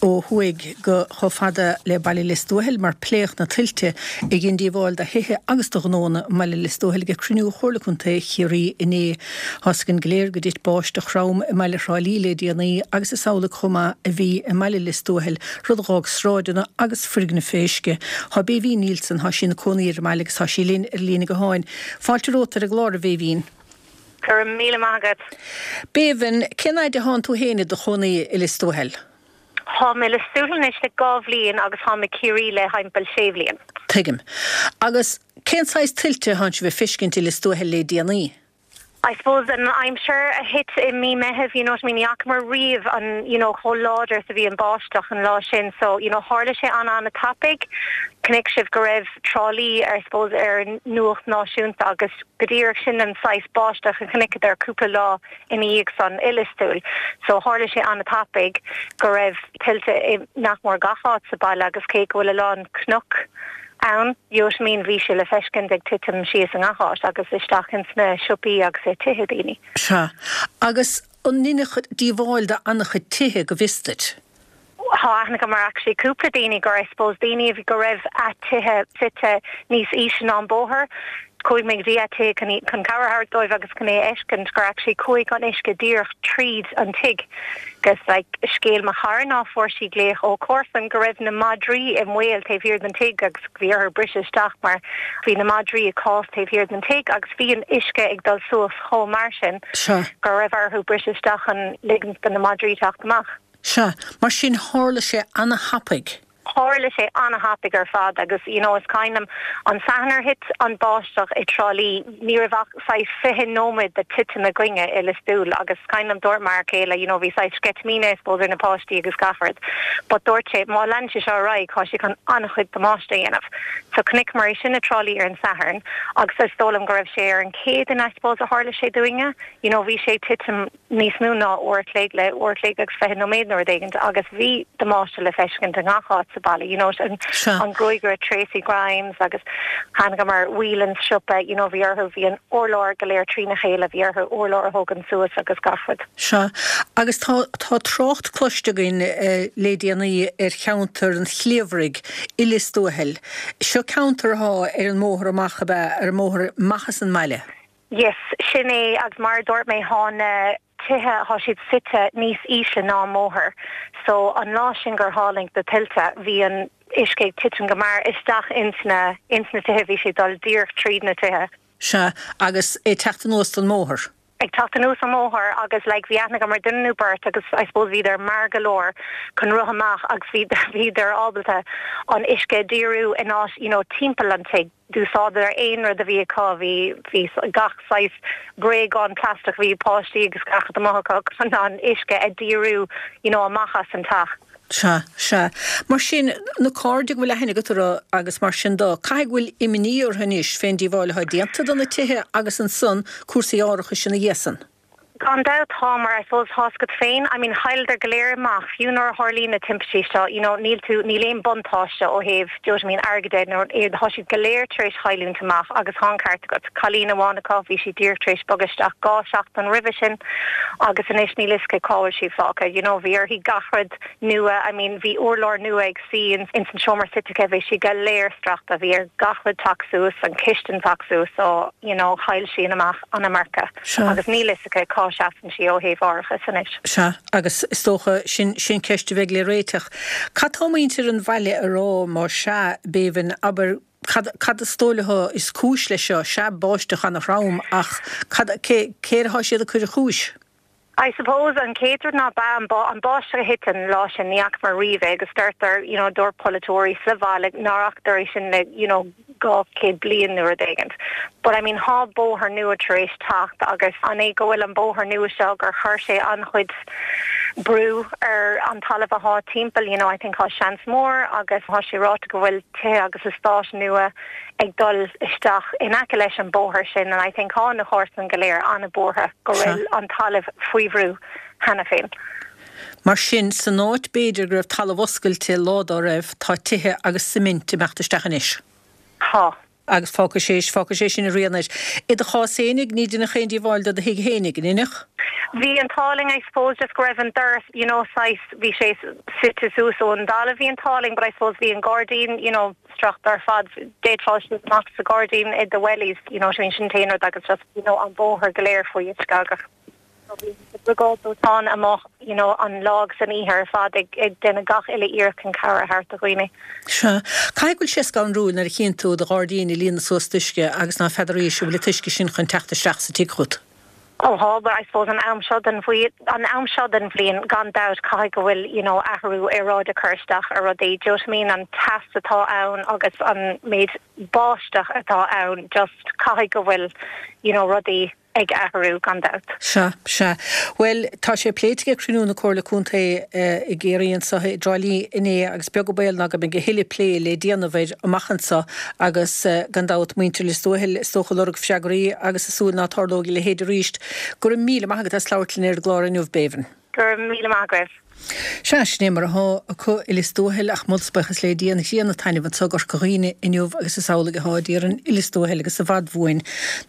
ó thuaidh go chomh fada le Baile Lios Tuathail mar pléadh na tuilte a dhein díobháil do thithe agus do ghnóanna i mBaile Lios Tuathail ag cruinniú Chomhairle Contae Chiarraí inné. Tá's againn go léir go dtit báisteach throm i mbaile Thrá Lí le déanaí agus is amhlaidh chomh maith a bhí i mBaile Lios Tuathail, rud a dh'fhág sráideanna agus foirgnimh fé uisce. Thá Béibhinn Neilson, thá sí ina cónaí ar an mbaile agus thá sí linn ar líne gutháin. Fáilte romhat ar an gclár a Bhéibhinn. Go raibh míle maith agat. Béibhinn, cén fhaid a thánn tú féin i do chónaí i Lios Tuathail? Táim i Lios Tuathail anois le 2 bhliain agus táim i Ciarraí le thimpeall 6 bhliain. Tuigim. Agus cén saghas tuilte a thánn sibh a feiscint i Lios Tuathail le déanaí? I suppose an aimsir a thit i mí Meithimh, you know what I mean, ní fhacamar riamh an, you know, chomh láidir is a bhí an báisteach an lá sin so, you know, tharla sé an-an-tapaidh. Chonaic sibh go raibh Trá Lí, I suppose, ar an nuacht náisiúnta agus go díreach sin an saghas báisteach a chonaiceadar cúpla lá ina dhiaidh san i Lios Tuathail. So tharla sé an-tapaidh go raibh tuilte i nach mór gach áit sa baile agus cé go bhfuil a lán cnoc ann, you know what I mean, bhí sé le feiscint ag titim síos i ngach áit agus isteach ins na siopaí agus i tithe daoine. Sea. Agus an ndeineadh díobháil do an-chuid tithe go bhfios duit? Tá aithne agam ar actually cúpla daoine gur I suppose daoine a bhí go raibh a tithe suite níos ísle ná an bóthar. Chuaigh mé go dtí a tithe chun chun cabhair a thabhairt dóibh agus chun é a fheiscint gur actually chuaigh an uisce díreach tríd an tigh. Agus like scéal mo chara ná fuair sí glaoch ó comharsan go raibh na madraí i mbaol taobh thiar den tigh agus bhí orthu briseadh isteach mar bhí na madraí i cás taobh thiar den tigh agus bhí an uisce ag dul suas chomh mar sin go raibh orthu briseadh isteach chun ligint do na madraí teacht amach. Sea, mar sin tharla sé ana-thapaidh. Tharla sé ana-thapaidh ar fad agus you know is cuimhin liom an Satharn ar thit an báisteach i dTrá Lí, ní raibh ach saghas 20 nóiméad de titim againne i Lios Tuathail agus is cuimhin liom dúirt m'fhear céile you know bhí saghas sceitimíní I suppose ar na páistí agus gach rud but dúirt sé má leanann sé seo ar aghaidh tá sé chun an-chuid damáiste a dhéanamh. So chonaiceamar é sin i dTrá Lí ar an Satharn agus is dóigh liom go raibh sé ar an Chéadaoin I suppose a tharla sé dúinne you know bhí sé ag titim níos mó ná uair a chloig le uair a chloig agus 20 nóiméad nó rud éigint agus bhí damáiste le feiscint i ngach áit sa. baile, you know, an an gruagaire Tracy Grimes agus chonaiceamar Whelan's siopa, you know, bhí orthu, bhí an urlár go léir trína chéile, bhí orthu urlár a thógaint suas agus gach rud. Sea, agus tá tá trácht cloiste againn le déanaí ar cheantar an Chliabhraigh i Lios Tuathail. Seo ceantar athá ar an mbóthar amach, ab ea, ar an mbóthar amach as an mbaile? Yes, sin é agus mar a dúirt mé thá na tithe, thá siad suite níos ísle ná an mbóthar so an lá sin gur tháinig na tuilte bhí an uisce ag titim go mear isteach ins na, ins na tithe, bhí sé ag dul díreach tríd na tithe. Sea, agus é ag teacht anuas don mbóthar. ag teacht anuas an mbóthar agus like bhí aithne agam ar duine nó beirt agus I suppose bhíodar mear go leor chun rith amach agus bhí bhíodar ábalta an uisce a dhíriú in áit you know timpeall an tigh. D'úsáideadar aon rud a bhí acu, bhí bhí gach saghas bréagán plaisteach, bhí páistí agus gach rud amuigh acu chun an uisce a dhíriú you know amach as an teach. Sea, sea. Mar sin, na cairde go bhfuil aithne agat orthu agus mar sin de, caithfidh go bhfuil imní orthu anois fén díobháil atá déanta do na tithe agus ansan cúrsaí árachais ina dhiaidh san. Gan dabht tá, mar I suppose tá's agat féin, I mean chailleadar go léir amach, fiú nuair a tharlaíonn na timpistí seo, you know níl tú, níl aon buntáiste ó thaobh, do you know what I mean, airgid de, nó tá siad go léir tar éis chailliúint amach agus tá an ceart agat, cailín amháin acu, bhí sí díreach tar éis bogadh isteach 2 seachtain roimhe sin agus anois níl fhios aici cá bhfuil sí fágtha, you know bhí uirthi gach rud nua, I mean bhí urlár nua ag suí ins an seomra suite aici, bhí sí go léir stractha, bhí ar gach rud teacht suas, an chistin teacht suas so you know chaill sí an amach an iomarca agus níl fhios aici cá seasann sí ó thaobh árachais anois. Sea, agus is dócha sin, sin ceist a bheidh le réiteach. Cad tá muintir an bhaile a rá más ea, Bébhinn, abair, cad, cad is dóigh leo is cúis leis seo? Sea, báisteach ana-throm ach cad, cé, cé air atá siad ag cur an chúis? I suppose an chéad rud ná ba an an báisteach a thit an lá sin ní fhacamar riamh é agus deirtear you know dúirt polaiteoirí sa bhaile nár fhacadar é sin le you know 200 bliain nó rud éigint. But I mean thá bóthar nua tar éis teacht agus an é go bhfuil an bóthar nua seo gur chuir sé an-chuid brú ar an talamh athá timpeall you know I think thá seans mór agus thá sé ráite go bhfuil tithe agus eastáit nua ag dul isteach in aice leis an bóthar sin and I think thá na comharsain go léir an-bhuartha go bhfuil an talamh faoi bhrú cheana féin. Mar sin, san áit b'fhéidir go raibh talamh oscailte lá dá raibh, tá tithe agus suimint ag imeacht isteach anois. Tá. Agus fágfaidh sé, fágfaidh sé sin a rian air. I do chás fhéinig, ní deineadh aon díobháil do do thigh fhéinig, an ndeineadh? Bhí an t-ádh linn I suppose just go raibh an doras you know saghas, bhí sé suite suas ón dtalamh bhí an t-ádh linn but I suppose bhí an gairdín you know stractha ar fad, d'fhéadfá siúl amach sa ghairdín i do wellies, you know what I mean, sin an t-aon rud agus just, you know, an bóthar go léir faoi uisce agus so bhí na briogáid dóiteáin amuigh, you know, an lá agus an oíche ar fad ag, ag déanamh gach uile iarracht chun cabhair a thabhairt do dhaoine. Sea. Caithfidh go bhfuil sé scanrúil nuair a chíonn tú do ghairdín ag líonadh suas d'uisce agus ná feadaraís an bhfuil an t-uisce sin chun teacht isteach sa tigh chugat. Ó thá, but I suppose an am seo den an am seo den bhliain gan dabht caithfidh go bhfuil you know athrú aeráide ag cur isteach ar rudaí, do you know what I mean, an teas atá ann agus an méid báisteach atá ann just caithfidh go bhfuil you know rudaí ag athrú gan dabht. Sea, sea. Bhuel, tá sé pléite ag cruinniú na Comhairle Contae i gCiarraí anseo i dTrá Lí inné agus beag an baol ná go mbeidh a thuilleadh plé le déanamh air amach anseo agus gan dabht muintir Lios Tuathail is dócha ag lorg freagraí agus ag súil ná tarlóidh a leithéid arís. Go raibh míle maith agat as labhairt linn ar an gclár inniu, Bébhinn. Go raibh míle maith agaibh. Sea, sin é mar athá acu i Lios Tuathail ach moladh 's buíochas le Dia an ghrian ag taitneamh anso i gCorca Dhuibhne inniu agus is amhlaidh athá d'iarrainn i Lios Tuathail agus i bhfad uainn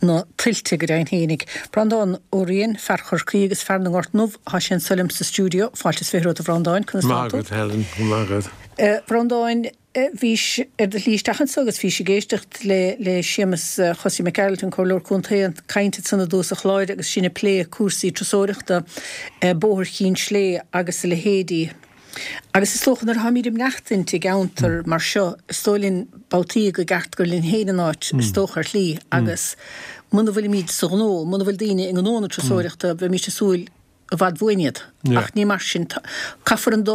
na tuilte go deimhin fhéinig. Breandán Ó Riain, fear Chorcaí agus fear na nGort nDubh, thá sé anso liom sa stiúideo. Fáilte is 20 romhat a Bhreandáin, conas tá tú? Maith agat Helen, go maith agat. A Bhreandáin, Bhís ar do shlí isteach anso agus bhís ag éisteacht le le Séamus Chosaí Mac Gearailt, an Comhairleoir Contae, ag caint ansan i dtús an chláir agus sinn ag plé cúrsaí turasóireachta, Bóthar Chinn Slé agus a leithéidí. Agus is dócha nuair atáimid ag maireachtaint i gceantar mar seo, is dóigh linn babhtaí go gceart gur linn féin an áit, is dócha ar shlí, agus muna bhfuilimid sa ghnó, muna bhfuil daoine i ngnó na turasóireachta, bheimís ag súil i bhfad uainn iad. Ach ní mar sin. Caithfear an dá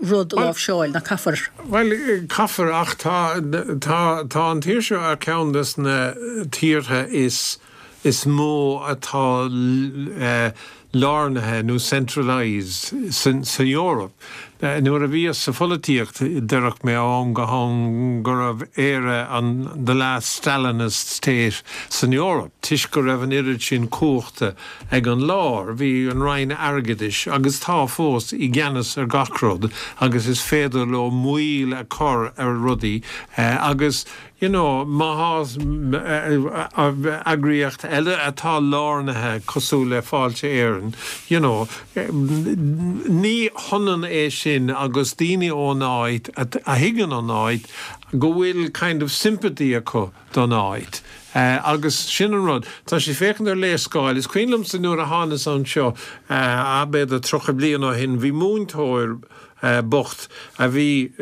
rud a láimhseáil, nach gcaithfear? Bhuel, caithfear, ach tá, tá, tá an tír seo ar cheann des na tíortha is, is mó atá lárnaithe nó centralised san, san Eoraip. Nuair a bhíos sa pholaitíocht, deireadh mé ó am go ham go raibh Éire an the last Stalinist state san Eoraip, toisc go raibh an oiread sin cumhachta ag an lár. Bhí an Roinn Airgeadais, agus tá fós, i gceannas ar gach rud agus is féidir leo moill a chur ar rudaí agus You know, má tá eagraíocht eile atá lárnaithe cosúil le Fáilte Éireann, you know, ní hionann é sin agus daoine ón áit a thuigeann an áit go bhfuil kind of sympathy acu don áit. Agus sin an rud. Tá sé féachaint ar léarscáil. Is cuimhin liomsa nuair a thánas anseo, b'fhéidir 30 bliain ó shin, bhí múinteoir, bocht a bhí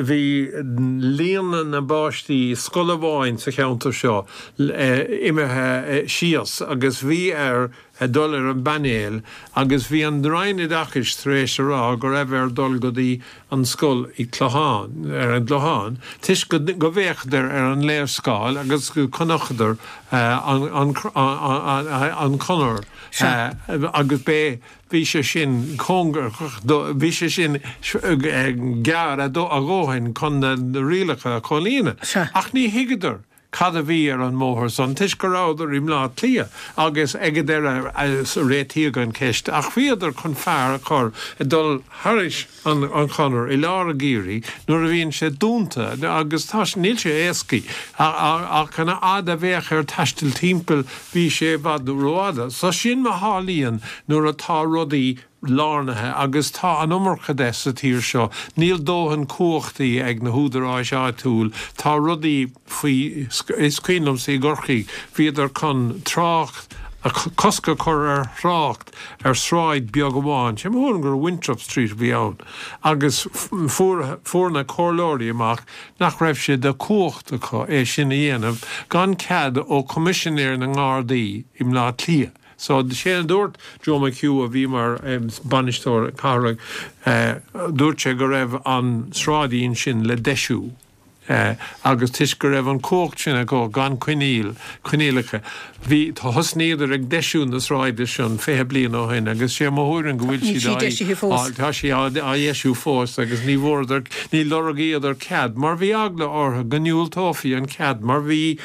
bhí líon na bpáistí i scoil amháin sa cheantar seo imithe síos agus bhí air dul ar an bpainéal agus bhí an Roinn Oideachais tar éis a rá go raibh air dul go dtí an scoil i gClochán ar an gClochán toisc go go bhféachadar ar an léarscáil agus go chonaiceadar an an an chonair agus b'é Bhí sé sin cóngarach do, bhí sé sin gearr a dhóthain chun na rialacha a chomhlíonadh. Ach ní thuigeadar cad a bhí ar an mbóthar san toisc go rabhadar i mBleá Cliath agus ag an deireadh réitíodh an cheist ach bhíodar chun fear a chur ag dul thairis an chonair i lár an gheimhridh nuair a bhíonn sé dúnta agus tá, níl sé éascaí ach an fhad a bheadh air taisteal timpeall bhí sé i bhfad rófhada. So sin mar tharlaíonn nuair atá rudaí lárnaithe agus tá an iomarca de sa tír seo. Níl dóthain cumhachtaí ag na húdaráis áitiúil, tá rudaí faoi, is cuimhin liomsa i gCorcaigh bhíodar chun trácht, cosc a chur ar thrácht ar shráid beag amháin, sé mo thuairim gur Winthrop Street a bhí ann, agus fuair, fuair na comhairleoirí amach nach raibh sé de chumhacht acu é sin a dhéanamh gan cead ó Choimisinéir na nGardaí i mBleá Cliath. So, sé a dúirt Joe McHugh a bhí mar bainisteoir cathrach, dúirt sé go raibh an sráidín sin le deisiú. agus toisc go raibh an chumhacht sin acu gan coinníoll, coinníollacha, bhí, thosnaíodar ag deisiú na sráide sin 20 bliain ó shin agus sé mo thuairim go bhfuil siad á, tá sí á dheisiú fós agus ní bhfuaireadar, ní lorgaíodar cead mar bhí eagla orthu go ndiúltófaí an cead mar bhí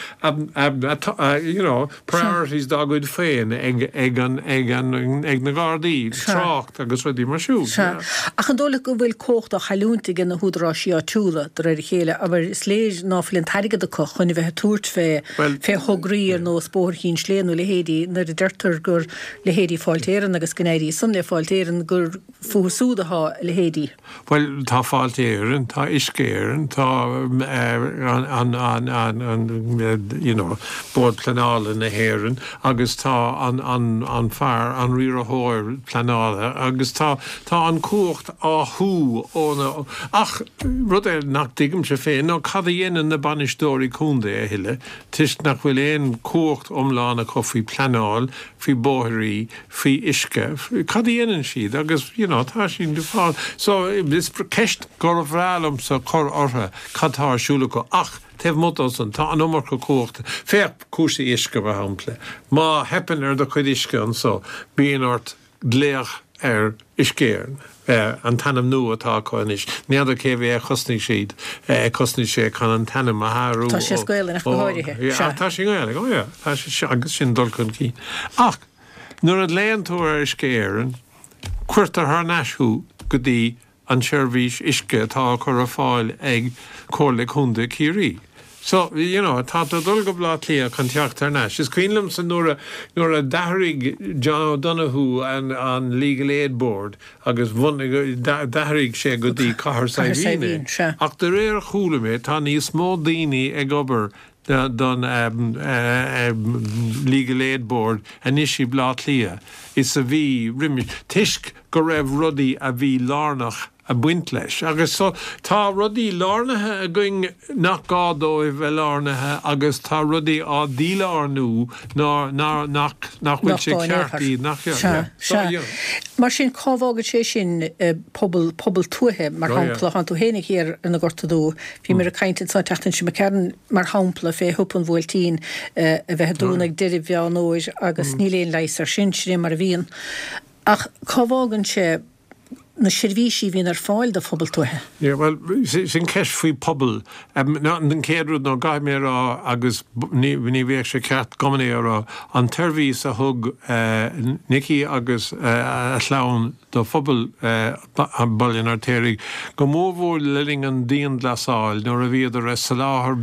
you know, priorities dá gcuid féin ag, ag an, ag an, ag na Gardaí, trácht agus rudaí mar siúd. Sea. Ach an dóigh leat go bhfuil cumhacht á chailliúint ag na húdaráisí áitiúla, de réir a chéile, abair, is léir ná fuil an t-airgead acu chun a bheith ag tabhairt fé, fé thograí ar nós Bóthar Chinn Sléibhe nó leithéidí, nuair a deirtear gur leithéidí Fáilte Éireann agus go n-éirí san le Fáilte Éireann gur fúthu súd atá a leithéidí. Bhuel, tá Fáilte Éireann, tá Uisce Éireann, tá an, an, an, you know, Bord Pleanála na hÉireann agus tá an, an, an fear, an riarthóir pleanála agus tá, tá an cumhacht á shú ó na, ach rud é nach dtuigimse féin ná cad a dhéanann na bainisteoirí contae a thuilleadh toisc nach bhfuil aon chumhacht iomlán acu faoi pleanáil, faoi bóithrí, faoi uisce, cad a dhéanann siad agus you know tá siad ag fáil so is ceist gur bhreá liomsa cur orthu cad tá ar siúl acu ach taobh amuigh dó san tá an iomarca cumhachta. Féach cúrsaí uisce mar shampla, má theipeann ar do chuid uisce anso bíonn ort glaoch ar Uisce Éireann, an t-ainm nua atá acu anois, n'fheadar cé mhéad a chosnaigh siad, chosnaigh sé chun an t-ainm a athrú ó. Tá sé as Gaelainn ach go háirithe. Sea. Tá sé i nGaelainn, oh yeah, tá sé, agus sin dul chun cinn. Ach nuair a ghlaonn tú ar Uisce Éireann, cuirtear thar n-ais thú go dtí an tseirbhís uisce atá á cur ar fáil ag Comhairle Contae Chiarraí. So, you know, tá tú ag dul go Baile Átha Cliath chun teacht thar n-ais. Is cuimhin liomsa nuair a, nuair a d'athraigh John O'Donoghue an, an Legal Aid Board agus bhunaigh, d'athraigh sé go dtí Cathair Saidhbhín é. Ach de réir a chuala mé, tá níos mó daoine ag obair don Legal Aid Board anois i mBleá Cliath is a bhí roimis, toisc go raibh rudaí a bhí lárnach ag baint leis. Agus so, tá rudaí lárnaithe againn nach gá dóibh bheith lárnaithe agus tá rudaí á dílárnú ná, ná, nach, nach bhfuil sé ceart iad, nach, yeah, Sea, so, sea. you know. Mar sin, cá bhfágann sé sin pobal, pobal tuaithe, mar shampla, thánn tú féinig thiar ar na Gorta Dubha, bhíomar ag caint ansan an tseachtain seo imigh mar shampla, fé shiopa an Bhuailtín a bheith ag dúnadh ag deireadh Mheán Fhómhair agus níl aon leigheas air sin, sin é mar a bhíonn. Ach cá bhfágann sé. na seirbhísí a bhíonn ar fáil do phobal tuaithe. Yeah, bhuel, sin ceist faoi pobal. An chéad rud ná caithfidh mé a rá, agus ní bheadh sé ceart gan é a rá, an tseirbhís a thug Nicky agus a chlann do phobal Bhaile an Fheirtéaraigh, go mórmhór le linn an dianghlasáil nuair a bhíodar ag soláthar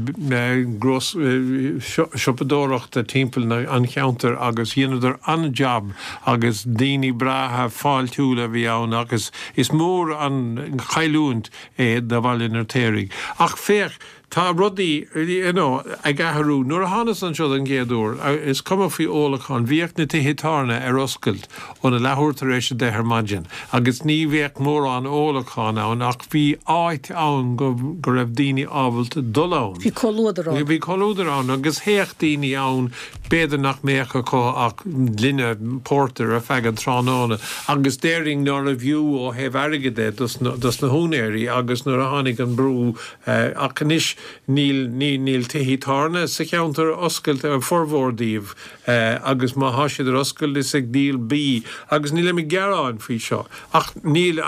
siopadóireachta timpeall an cheantair agus dheineadar an-jab agus daoine breátha fáiltiúla a bhí ann agus is mór an chailliúint é do Bhaile an Fheirtéaraigh. Ach féach, tá rudaí, you know, ag athrú. Nuair a thánas anseo don gcéad uair, is cuma faoi ólachán, bhíodh na tithe tábhairne ar oscailt óna leathuair tar éis 10 ar maidin agus ní bheadh mórán ólachán ann ach bhí áit ann go go raibh daoine ábalta dul ann. Bhí comhluadar ann. Bhí comhluadar ann agus théadh daoine ann B'fhéidir nach mbeadh acu ach gloine pórtair ar feadh an tráthnóna agus déarfainn nárbh fhiú ó thaobh airgid é dos na húinéirí agus nuair a tháinig an brú ach anois níl níl tithí tábhairne sa cheantar oscailte, formhór díobh, agus má thá siad ar oscailt is ag díol bídh agus nílim ag gearán faoi seo ach níl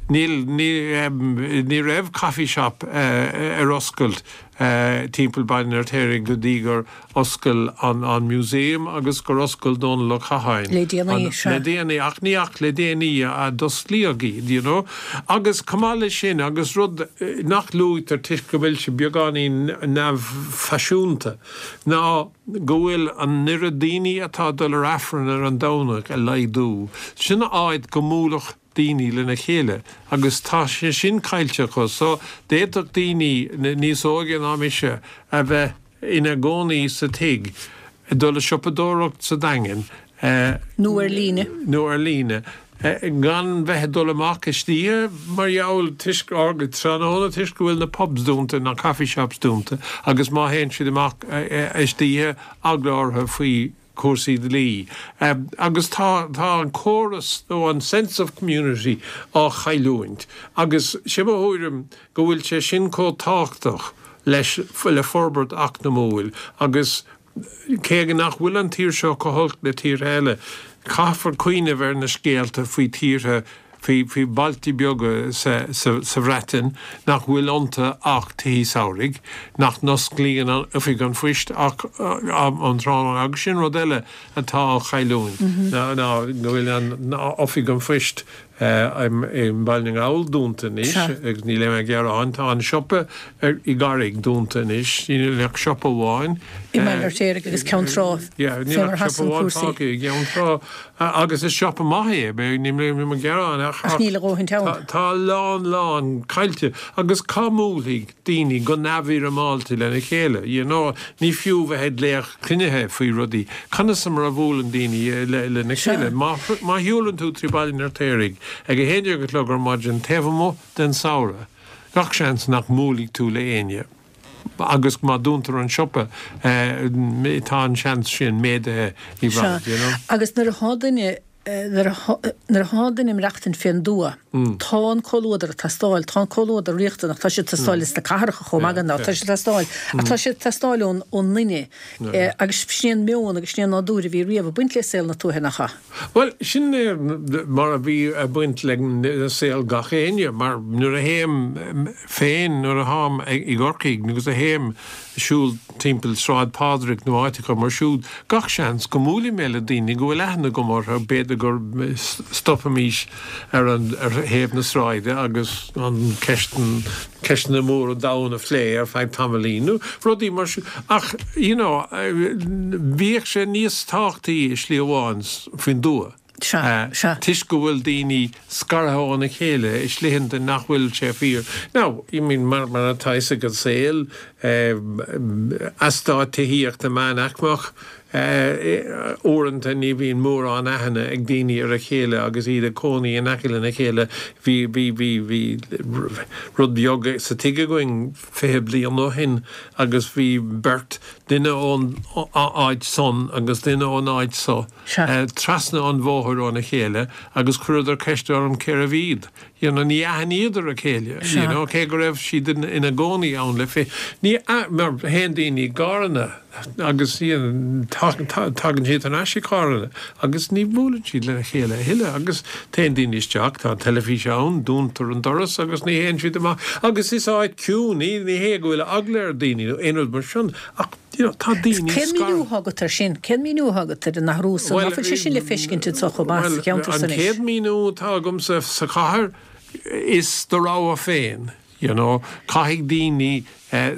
níl ní raibh coffee shop ar oscailt timpeall Baile an Fheirtéaraigh go dtí gur oscail an museum agus gur oscail Dónal Ó Catháin. Le déanaí, sea. Le déanaí, ach ní ach le déanaí a d'osclaíodh iad, you know. Agus chomh maith leis sin, agus rud nach luaitear toisc go bhfuil sé beagáinín neamhfhaisiúnta, ná go bhfuil an oiread daoine atá ag dul ar Aifreann ar an Domhnach ag laghdú. Sin áit go mbuailfeadh daoine lena chéile agus tá sé sin caillte acu so d'fhéadfadh daoine níos óige ná mise a bheith ina gcónaí sa tigh, ag dul a siopadóireacht sa Daingean, Nó ar líne. nó ar líne, gan bheith ag dul amach istoíche mar gheall toisc, or tráthnóna toisc go bhfuil na pubs dúnta, na coffee shops dúnta agus má théann siad amach istoíche eagla orthu faoi cúrsaí dlí. Agus tá tá an córas nó an sense of community á chailliúint agus sé mo thuairim go bhfuil sé sin chomh tábhachtach leis le forbairt eacnamúil agus cé nach bhfuil an tír seo chomh holc le tíortha eile caithfear cuimhneamh ar na scéalta faoi tíortha faoi faoi bhailte beaga sa sa Bhreatain nach bhfuil iontu ach tithí samhraidh, nach n-osclaíonn an oifig an phoist ach um tráthnóna agus sin rud eile atá á chailliúint ná ná go bhfuil an oifig an phoist i mBaile na nGall dúnta anois agus níl aon ghearán. Tá an siopa i gCarraig dúnta anois, níl ach siopa amháin. I mBaile an Fheirtéaraigh agus Ceann Trá fé mar a sheasann cúrsaí. Fágtha i gCeann Trá. Agus is siopa maith é, níl mé ag gearán ach Ach níl a dhóthaint ann. tá a lán lán caillte agus cá mbuailfidh daoine go neamhfhoirmeálta lena chéile, you know, ní fiú bheith ag glaoch cruinnithe faoi rudaí, conas mar a bhuaileann daoine lena chéile? Má má shiúlann tú trí Baile an Fheirtéaraigh ag a haon déag a chlog ar maidin taobh amuigh den samhradh, gach seans nach mbuailfidh tú le éinne. Agus má dúntar an siopa, tá an seans sin méadaithe i bhfad, you know. Agus nuair atá duine, nuair atá duine ag maireachtaint fén dtuath, tá an comhluadar ag teastáil, tá an comhluadar riachtanach, tá sé ag teastáil ins na cathracha chomh maith gan dabht, tá sé ag teastáil, ach tá sé ag teastáil ón nduine. Agus sin é an meon agus sin é an nádúr a bhí riamh ag baint le saol na tuaithe, nach ea? Bhuel, sin é mar a bhí ag baint le saol gach éinne, mar nuair a théim féin, nuair a tháim i gCorcaigh agus a théim ag siúl timpeall Sráid Phádraig nó áiteacha mar siúd, gach seans go mbuailfidh mé le daoine go bhfuil aithne agam orthu, b'fhéidir go stopfaimís ar an, ar thaobh na sráide agus an ceist, ceisteanna móra an domhain a phlé ar feadh tamaillín nó rudaí mar sin. Ach, you know, bhíodh sé níos tábhachtaí i slí amháin faoin dtuath. Sea, sea. Toisc go bhfuil daoine scartha óna chéile i slítheanta nach bhfuil sé fíor. Now, I mean, mar, mar atá fhios ag an saol, eastát tithíochta meánaicmeach, Uaireanta ní bhíonn mórán aithne ag daoine ar a chéile agus iad ag cónaí in aice lena chéile. Bhí, bhí, bhí, bhí rud beag sa tigh againn 20 bliain ó shin agus bhí beirt, duine ón áit san agus duine ón áit so, trasna an bhóthair óna chéile agus chuireadar ceist orm cérbh iad. You know, ní aithníodar a chéile, you know, cé go raibh siad ina gcónaí ann le fi, ní, mar théann daoine i gcarranna. Agus tagann siad thar n-ais i gcarranna agus ní bhuaileann siad lena chéile a thuilleadh agus téann daoine isteach, tá an teilifís ann, dúntar an doras agus ní théann siad amach agus is áit ciúin í, ní hé go bhfuil eagla ar daoine nó aon rud mar sin ach you know tá daoine Cén míniú atá agat air sin? Cén míniú atá agat ar an athrú san? Ná fuil sé sin le feiscint anso chomh maith sa cheantar san anois? An chéad míniú atá agamsa sa chathair is do rogha féin. You know, caithfidh daoine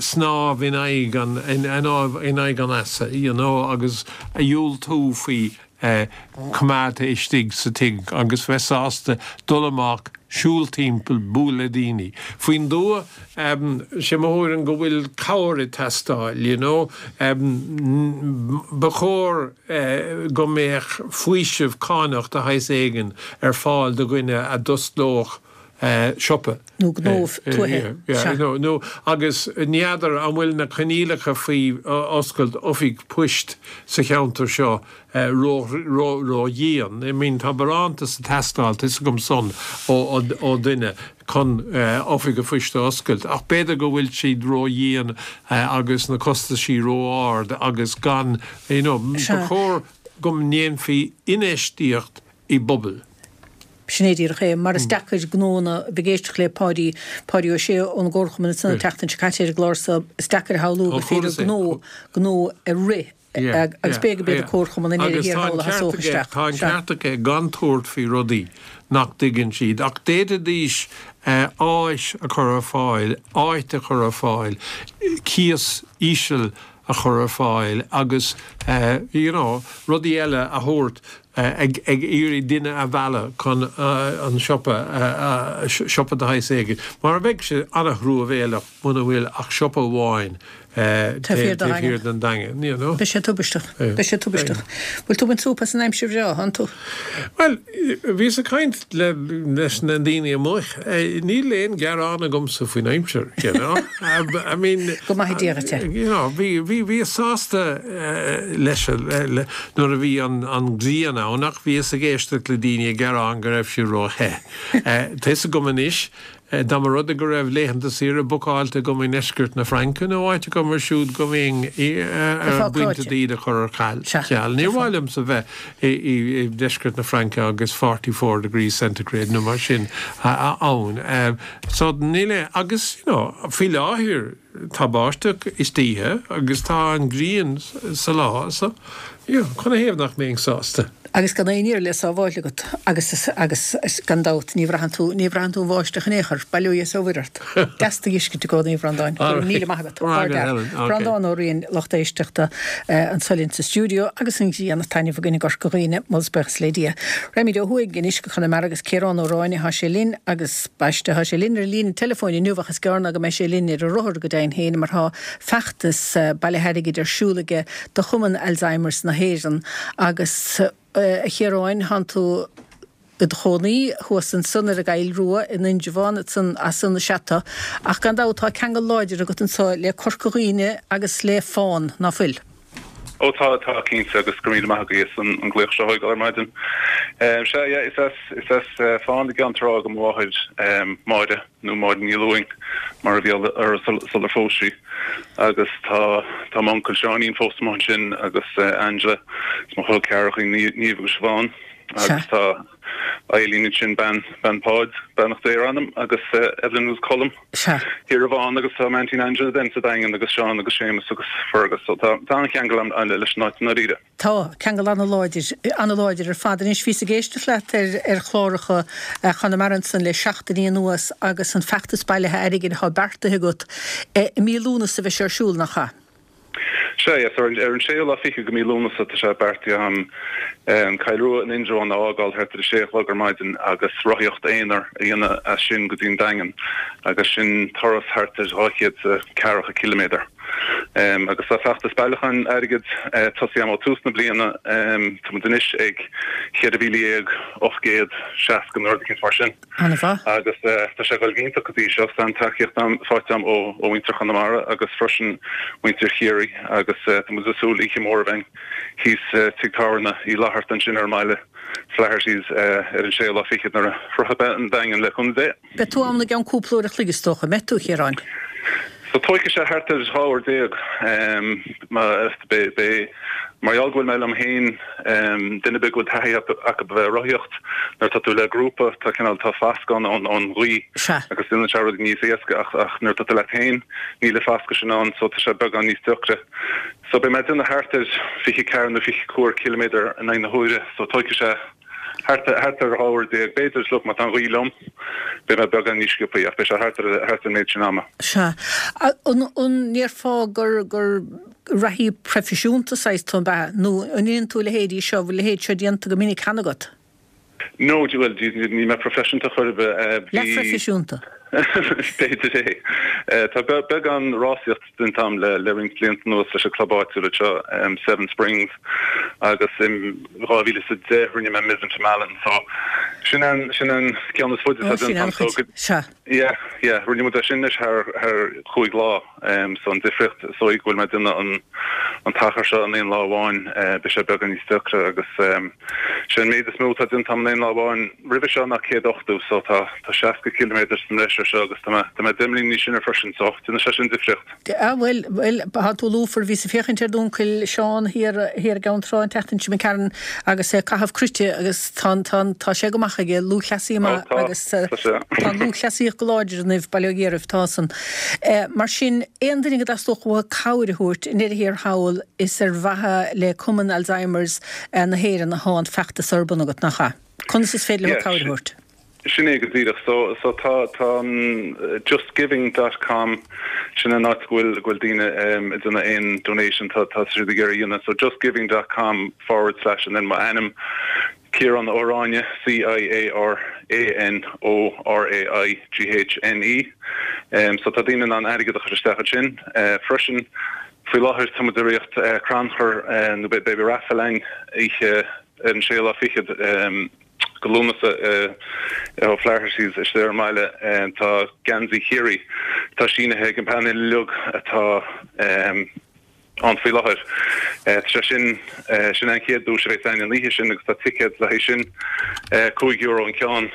snámh in aghaidh an, in aghaidh an easa, you know, agus a dhiúltú faoi coimeádta istigh sa tigh agus bheith sásta dul amach, siúl timpeall, bualadh le daoine. Faoin dtuath, sé mo thuairim go bhfuil cabhair ag teastáil, you know. Ba chóir go mbeadh faoiseamh cánach de shaghas éigin ar fáil do dhuine a d'osclódh siopa. Nó gnó tuaithe, sea. Nó, agus n'fheadar an bhfuil na coinníollacha faoi oscailt oifig poist sa cheantar seo ró-dhian. I mean, tá barántas ag teastáil, tá 'fhios agam san ó dhuine chun oifig a phoist a oscailt, ach b'fhéidir go bhfuil siad ró-dhian agus na costaisí ró-ard agus gan, you know, ba chóir go ndéanfaí infheistíocht i bpobail. Sin é díreach é, mar is deacair gnóanna, bheith ag éisteacht le Páidí, Páidí Ó Sé ón gComharchumann ansan an tseachtain seo caite ar an gclár so, is deacair a shamhlú gur féidir gnó, gnó a rith agus b'fhéidir go mb'iad an Comharchumann i ndeireadh thiar thall a thosódh isteach. Tá an ceart aige gan tabhairt faoi rudaí nach dtuigeann siad, ach d'fhéadfaidís áis a chur ar fáil, áit a chur ar fáil, cíos íseal a chur ar fáil agus you know rudaí eile a thabhairt ag ag iarraidh duine a mhealladh chun an siopa siopa de shaghas éigin mar bheadh sé an-thruamhéileach muna bhfuil ach siopa amháin taobh thiar den Daingean you know. Beidh sé tubaisteach. Beidh sé tubaisteach. Bhfuil tú ag baint súp as an aimsir bhreá, thánn tú? Bhuel, bhíos ag caint le, leis na daoine amuigh. Níl aon ghearán agamsa faoin aimsir, you know. I mean. Go maithe Dia dhuit é. You know, bhí, bhí, bhíos sásta leis, le, nuair a bhí an, an ghrian ann ach bhíos ag éisteacht le daoine ag gearán go raibh sí ró-the. Tá 'fhios agam anois Dá mba rud é go raibh laethanta saoire bookáilte agam i ndeisceart na Fraince nó áit agam mar siúd go mbeinn ar an bpointe iad a chur ar ceal. Níor mhaith liomsa bheith i ndeisceart na Fraince agus 44 degrees centigrade nó mar sin ann. So níl aon, agus you know faoi láthair tá báisteach istoíche agus tá an ghrian sa lá so you know canathaobh nach mbeinn sásta? Agus gan aon iarraidh le sábháil agat agus, agus gan dabht ní bhraitheann tú, ní bhraitheann tú an bháisteach in aon chor, bail ó Dhia is ó Mhuire ort. Deas tú a fheiscint i gcónaí, a Bhreandáin. Go raibh míle maith agat. Ardfhear. Breandán Ó Riain, lucht éisteachta, anso linn sa stiúideo agus an ghrian ag taitneamh againn i gCorca Dhuibhne, moladh is buíochas le Dia. Raghaimid ó thuaidh anois go Conamara agus Ciarán Ó Ráinne, tá sé linn agus, baiste, tá sé linn ar an líne teileafóin inniu ach is gearr ná go mbeidh sé linn ar an rothar go deimhin féin mar tá feachtas bailithe airgid ar siúl aige do Chumann Alzheimer's na hÉireann agus, a Chiaráin, thánn tú i do chónaí thuas ansan ar an gCoill Rua in Indreabhán, ansan, as san is ea tú, ach gan dabht tá ceangal láidir agat anso le Corca Dhuibhne agus le Fán, ná fuil? Ó tá, tá, cinnte, agus go raibh míle maith agaibh as an glaoch seo a thógáil ar maidin. Sea, yeah, is as, is as Fán i gCeann Trá do mo mháthair, Máire. nó Máire Ní Lúing mar a bhí uirthi sular phós sí agus tá tá m'uncail Seáinín fós amuigh ansin agus Angela is mo chol ceathracha Niamh agus Siobhán agus tá Eileen ansin bean bean Pháid beannacht Dé ar a anam agus Evelyn agus Colm thiar i bhFán agus tá m'aintín Angela then sa Daingean agus Seán agus Séamus agus Fergus so tá tá an-cheangal agam leis an áit i ndáiríre. Tá, ceangal an-láidir, an-láidir ar fad. Anois, bhíos ag éisteacht leat ar, ar chláracha Chonamara ansan le seachtainí anuas agus an feachtas bailithe airgid atá beartaithe agat. I mí Lúnasa a bheidh sé ar siúl, nach ea? Sea, yes, ar an, ar an séú lá fichead de mí Lúnasa tá sé beartaithe agam an Choill Rua in Indreabhán a fhágáil thart ar a sé a chlog ar maidin agus rothaíocht aonair a dhéanamh as sin go dtí an Daingean agus sin turas thart ar 240 ciliméadar. Agus tá feachtas bailiúcháin airgid tosaithe agam ó tús na bliana. Tá muid anois ag 14,860 nó rud eicínt mar sin. An-mhaith. Agus tá sé ag dul go hiontach go dtí seo. Tá an-tacaíocht faighte agam ó mhuintir Chonamara agus freisin muintir Chiarraí agus tá muid ag súil oíche mhór a bheith thíos Tigh Tábhairne Uí Fhlatharta ansin ar an mbaile, Flaherty's, ar an séú lá fichead nuair a shroichfidh mé an Daingean le cúnamh Dé. Beidh tú ann i gceann cúpla uair a chloig is dócha, an mbeidh tú, a Chiaráin? So tóigfidh sé thart ar 12 uair. Beidh, mar gheall go bhfuil mé liom féin, duine ar bith go bhfuil taithí acu a bheith ag rothaíocht, nuair atá tú le grúpa, tá cineál, tá fascadh ann ón ghaoth agus déanann sé rud níos éasca ach ach nuair atá tú leat féin, níl an fascadh sin ann so tá sé beagán níos deacra. So beidh mé ag déanamh thart ar 24 nó 25 ciliméadar in aghaidh na huaire so tóigfidh sé Thart ar 12 uair, b'fhéidir, look, má tá an ghaoth liom, beidh mé beagán níos sciobthaí, ach beidh sé thart ar thart ar an méid sin ama. Sea. An ndéarfá gur gur reathaí proifisiúnta saghas tú, ab ea? Nó an ndéanann tú a leithéidí seo, bhfuil a leithéid seo déanta go minic cheana agat? No, bhuel, níl mé proifisiúnta chor ar bith. Bhí. Leathphroifisiúnta? B'fhéidir é. Tá beagán rásaíocht déanta agam le roinnt blianta anuas leis an club áitiúil anseo, Seven Springs, agus in 2010 rinne mé Mizen to Malin. So sin an sin an ceann is faide atá déanta agam. So Sea. Yeah, yeah, rinne muid é sin anois thar thar chúig lá. So an difríocht is dóigh go bhfuil mé ag déanamh an an t-achar seo in aon lá amháin, beidh sé beagán níos deacra agus sé an méid is mó atá déanta agam in aon lá amháin roimhe seo ná 180 so tá tá 60 ciliméadar sa mbreis ar seo agus tá mé tá mé 10 mbliana níos sine freisin so déanann sé sin difríocht. Ah bhuel, bhuel, tá tú lúfar, bhíos ag féachaint ar d'uncail Seán thiar, thiar i gCeann Trá an tseachtain seo imigh tharainn agus é ag caitheamh cruite agus tá an, tá an, tá sé go maith aige, lúthchleasaí maith Ó tá, agus tá sé. tá an lúthchleasaíocht go láidir in Uíbh, Baile Ó gCiarraibh, tá san. Mar sin, aon duine go dteastódh uathu cabhair a thabhairt, i ndeireadh thiar thall, is ar mhaithe le Cumann Alzheimer's na hÉireann atá an feachtas ar bun agat, nach ea? Conas is féidir leo Yeah, cabhair a thabhairt? Sin é go díreach. So, so tá, tá an justgiving dot com, sin an áit go bhfuil, go bhfuil daoine ag déanamh aon donation tá, tá siad ag iarraidh a dhéanamh. So justgiving dot com forward slash and then mo ainm, Ciarán Ó Ráinne, C-I-A-R-A-N O-R-A-I-G-H-N-E. So tá daoine in ann airgead a chur isteach ansin. Freisin, faoi láthair tá muid ag rith crannchur nó beidh raffle againn oíche ar an séú lá fichead de Lúnasa i O'Flaherty's istigh ar an mbaile. Tá geansaí Chiarraí atá sínithe ag an bpainéal uilig atá ann faoi láthair. Tá sé sin, sin é an chéad duais a bheas againn an oíche sin agus tá ticéad le haghaidh sin, €5 an ceann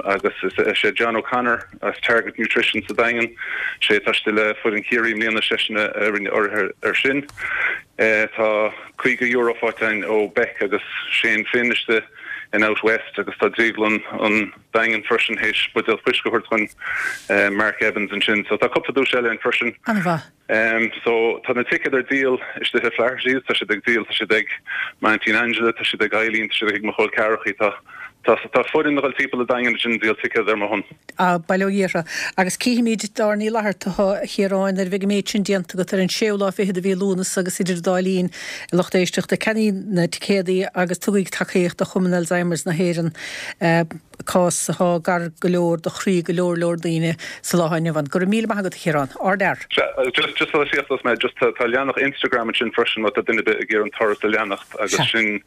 agus is é John O'Connor as Target Nutrition sa Daingean, sé atá istigh le foireann Chiarraí i mbliana, seisean a rinne urraithe air sin. Tá €50 faighte againn ó Beck agus Shane Finn istigh in Out West agus tá Drioglann an Daingin freisin théis buidéal fuisce a thabhairt dhúinn, Mark Evans ansin. So tá cúpla duais eile ann freisin. An-mhaith. So tá na ticéid ar díol istigh i Flaherty's, tá siad ag díol, tá siad ag m'aintín Angela, tá siad ag Eileen, tá siad ag mo chol ceathrachaí, tá tá tá foireann ag dul timpeall an Daingin ansin ag díol ticéad ar mo shon. Ah, bail ó Dhia orthu. Agus cífimid Doireann Ní Fhlatharta thú, a Chiaráin, nuair a bheidh an méid sin déanta agat ar an séú lá fichead de mhí Lúnasa agus idir an dá linn, a lucht éisteachta, ceannaígí na ticéadaí agus tugaigí tacaíocht do Chumann Alzheimer's na hÉireann, cás atá gar go leor do chroí go leor leor daoine sa lá atá inniu ann. Go raibh míle maith agat, a Chiaráin. Ardfhear. Sea, just, just sula síochós mé, just tá, tá leathanach Instagram ansin freisin má tá duine ar bith ag iarraidh an turas a leanacht agus sin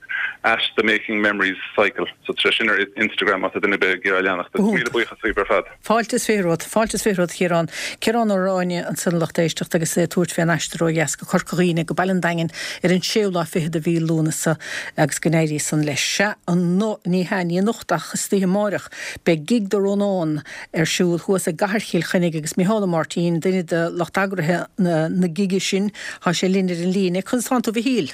at the making memories cycle. So tá sé sin ar Instagram má tá duine ar bith ag iarraidh a leanacht. Agus míle buíochas daoibh ar fad. Fáilte is 20 romhat. Fáilte is 20 romhat, a Chiaráin. Ciarán Ó Ráinne ansan a lucht éisteachta agus é ag tabhairt fén aistear ó dheas go Corca Dhuibhne go Baile an Daingin ar an séú lá fichead de mhí Lúnasa agus go n-éirí san leis. Sea, ano, ní hea, ní anocht ach istoíche amáireach beidh Gig do Rónán ar siúl thuas i gCathair Chill Chainnigh agus Micheál Ó Máirtín, duine de lucht eagraithe na na gige sin, tá sé linn ar an líne. Conas tánn tú a Mhichíl?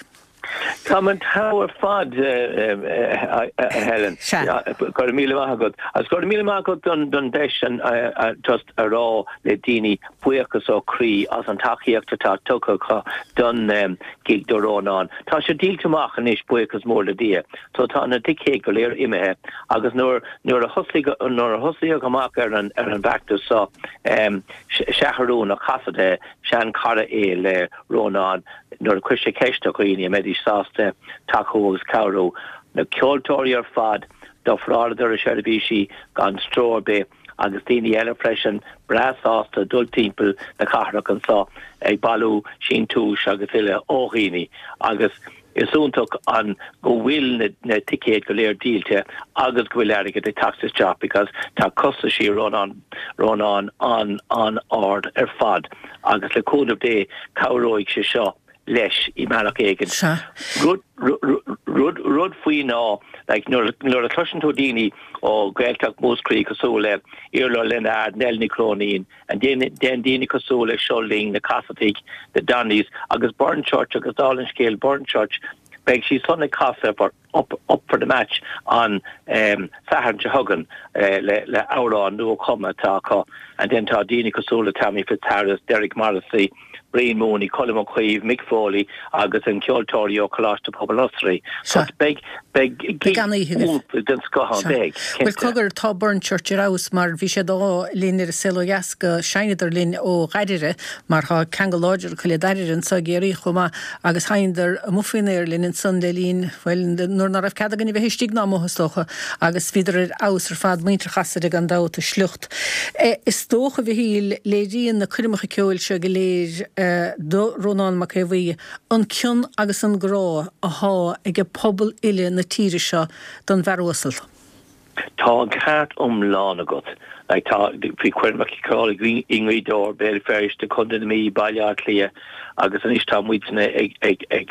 Táim an togha ar fad, a Helen. Go raibh míle maith agat. Agus go raibh míle maith agat don deis just a rá le daoine buíochas ó chroí as an tacaíocht atá tugtha acu don Gig do Rónán. Tá sé díolta amach anois, buíochas mór le Dia. So tá na ticéid go léir imithe agus nuair nuair a thosaigh nuair a thosaíodh amach ar an ar an bhfeachtas seo, Seathrún Ó Casaide, sean-chara é le Rónán, nuair a chuir sé ceist ar dhaoine an mbeidís sásta tacú agus cabhrú, na ceoltóirí ar fad, d'ofráladar a seirbhísí gan stró ar bith agus daoine eile freisin breá sásta dul timpeall na cathrach anso ag bailiú síntiúis agus uile ó dhaoine agus is iontach an go bhfuil na ticéid go léir díolta agus go bhfuil airgead ag teacht isteach because tá costaisí Rónán Rónán an-an-ard ar fad agus le cúnamh Dé cabhróidh sé seo. leis i mbealach éigin. Rud, rud, rud faoi ná, like, nuair, nuair a chloiseann tú daoine ó Ghaeltacht Mhúscraí cosúil le Iarla Ó Lionáird, Nell Ní Chróinín, and then, then daoine cosúil le Seo Linn, na Casaidigh, the Donnys, agus Burren Church agus dála an scéil Burren Church, beidh siad san ag casadh for Up, Up for the Match an Satharn seo chugainn le, le amhrán nua-chumtha atá acu and then tá daoine cosúil le Tommy Fitzharris, Derek Morrissey, Brian Mooney, Colm Ó Caoimh, Mick Foley agus an ceoltóirí ó Choláiste Pobail Osraí. So beidh, beidh gig iontach den scoth ann, beidh, cinnte. Bhuel cogar, tá Burren Church ar fheabhas mar bhí sé d'ádh linn ar an Saol Ó Dheas go seinneadar linn ó Dhairire mar tá ceangal láidir acu le Dairire anseo i gCiarraí chomh maith agus sheinneadar amuigh faoin aer linn ansan le linn, bhuel, nuair ná raibh cead againn a bheith istigh ná amuigh is dócha, agus bhíodar ar fheabhas ar fad, muintir Chasaide gan dabht, a sliocht. Is dócha, a Mhichíl, léiríonn na coirmeacha ceoil seo go léir do Rónán Mac Aodha Bhuí an cion agus an grá athá aige pobal uile na tíre seo don bhfear uasal. Tá an ceart iomlán agat. Like tá, bhí coirmeacha ceoil i nGaoth Dobhair, Béal Feirste, Contae na Mí, Baile Átha Cliath agus anois tá muidne ag ag ag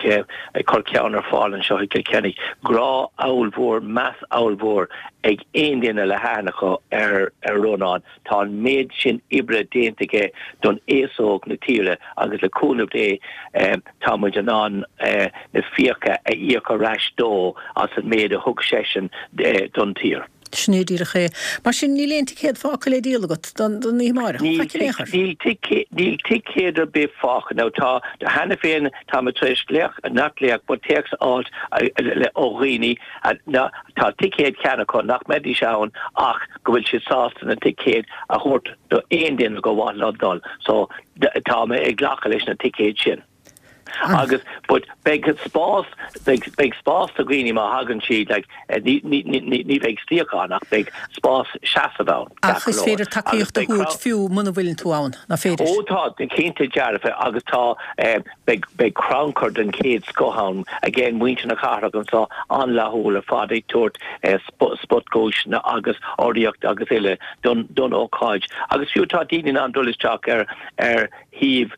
ag cur ceann ar fáil anseo i gCill Chainnigh. Grá ollmhór, meas ollmhór ag aon duine le haithne acu ar ar Rónán. Tá an méid sin oibre déanta aige don aos óg na tíre agus le cúnamh Dé tá muid in ann na fiacha a íoc ar ais dó as an méid a thug seisean don tír. Sin é díreach é. Mar sin, níl aon ticéad fágtha le díol agat don oíche amárach? Faic in aon chor? Níl ticéad ar bith fágtha. Now tá, cheana féin, tá mé tar éis glaoch, not glaoch, but téacs a fháilt ó dhaoine, tá ticéad cheana acu nach mbeidís ann ach go bhfuil siad sásta na ticéid a thabhairt do aon duine gur mhaith leo dul. So tá mé ag glacadh leis na ticéid sin. Agus but beidh spás beidh beidh spás do dhaoine má thagann siad like ní ní ní ní bheidh suíochán ach beidh spás seasamh ann. Ach is féidir tacaíocht a thabhairt fiú muna bhfuileann tú ann, nach féidir? Ó tá, cinnte dearfa agus tá Beidh beidh crannchur den chéad scoth ann. Again, muintir na cathrach anseo an-fhlaithiúil ar fad ag tabhairt spotdhuaiseanna agus urraíocht agus uile don don ócáid. Agus fiú tá daoine in ann dul isteach ar ar shuíomh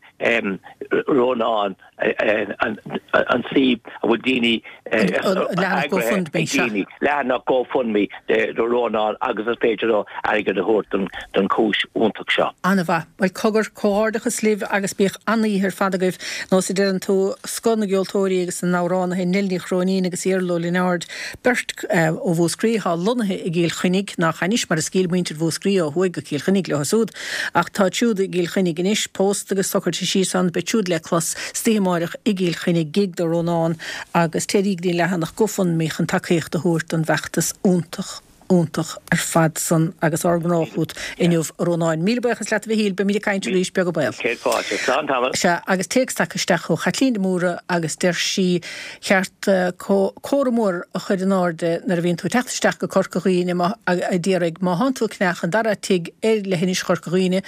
Rónán, an an suíomh a bhfuil daoine Leathanach GoFundMe, sea. Leathanach GoFundMe do Rónán agus is féidir leo airgead a thabhairt don don chúis iontach seo. An-mhaith. Bhuel, cogar, comhghairdeachas libh agus bíodh an-oíche ar fad agaibh. Nós a deireann tú, scoth na gceoltóirí agus na n-amhránaithe, Nell Ní Chróinín agus Iarla Ó Lionáird, beirt ó Mhúscraí atá lonnaithe i gCill Chainnigh, nach anois mar is ghoill muintir Mhúscraí ó thuaidh go Cill Chainnigh leo siúd, ach táid siúd i gCill Chainnigh anois, pósta agus socraithe síos ann, beid siúd le clos istoíche amáireach i gCill Chainnigh, gig do Rónán agus téiríg go dtí an leathanach GoFundMe chun tacaíocht a thabhairt don bhfeachtas iontach. iontach ar fad san agus ár ngrá chút inniu a Rónáin. Míle buíochas leat a Mhichíl, beimid ag caint arís, beag an baol. Céad fáilte. Slán tamall. Sea, agus téacs tagtha isteach ó Chaitlín de Mórdha agus deir sí cheart comhartha mór a chur in airde nuair a bhíonn tú ag teacht isteach go Corca Dhuibhne má, a d'iarraidh, má thánn tú ag cneach an dara tigh ar leithinis Chorca Dhuibhne,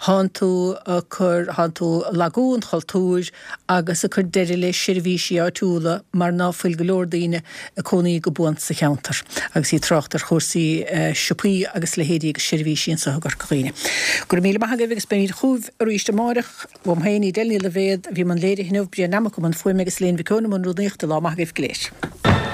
thánn tú ag cur, thánn tú ag lagú an chultúir agus ag cur deireadh le seirbhísí áitiúla mar ná fuil go leor daoine ag cónaí go buan sa cheantar agus í ag trácht ar chúrsaí siopaí agus leithéidí agus seirbhísí anseo i gCorca Dhuibhne. Go raibh míle maith agaibh agus beimid chugaibh arís amáireach. Uaim féin, Edel Ní Loibhéad, a bhí i mbun léirithe inniu, Brian Nammock i mbun fuaime agus Elaine Mhic Eoin i mbun rúnaíochta. Lá maith agaibh go léir.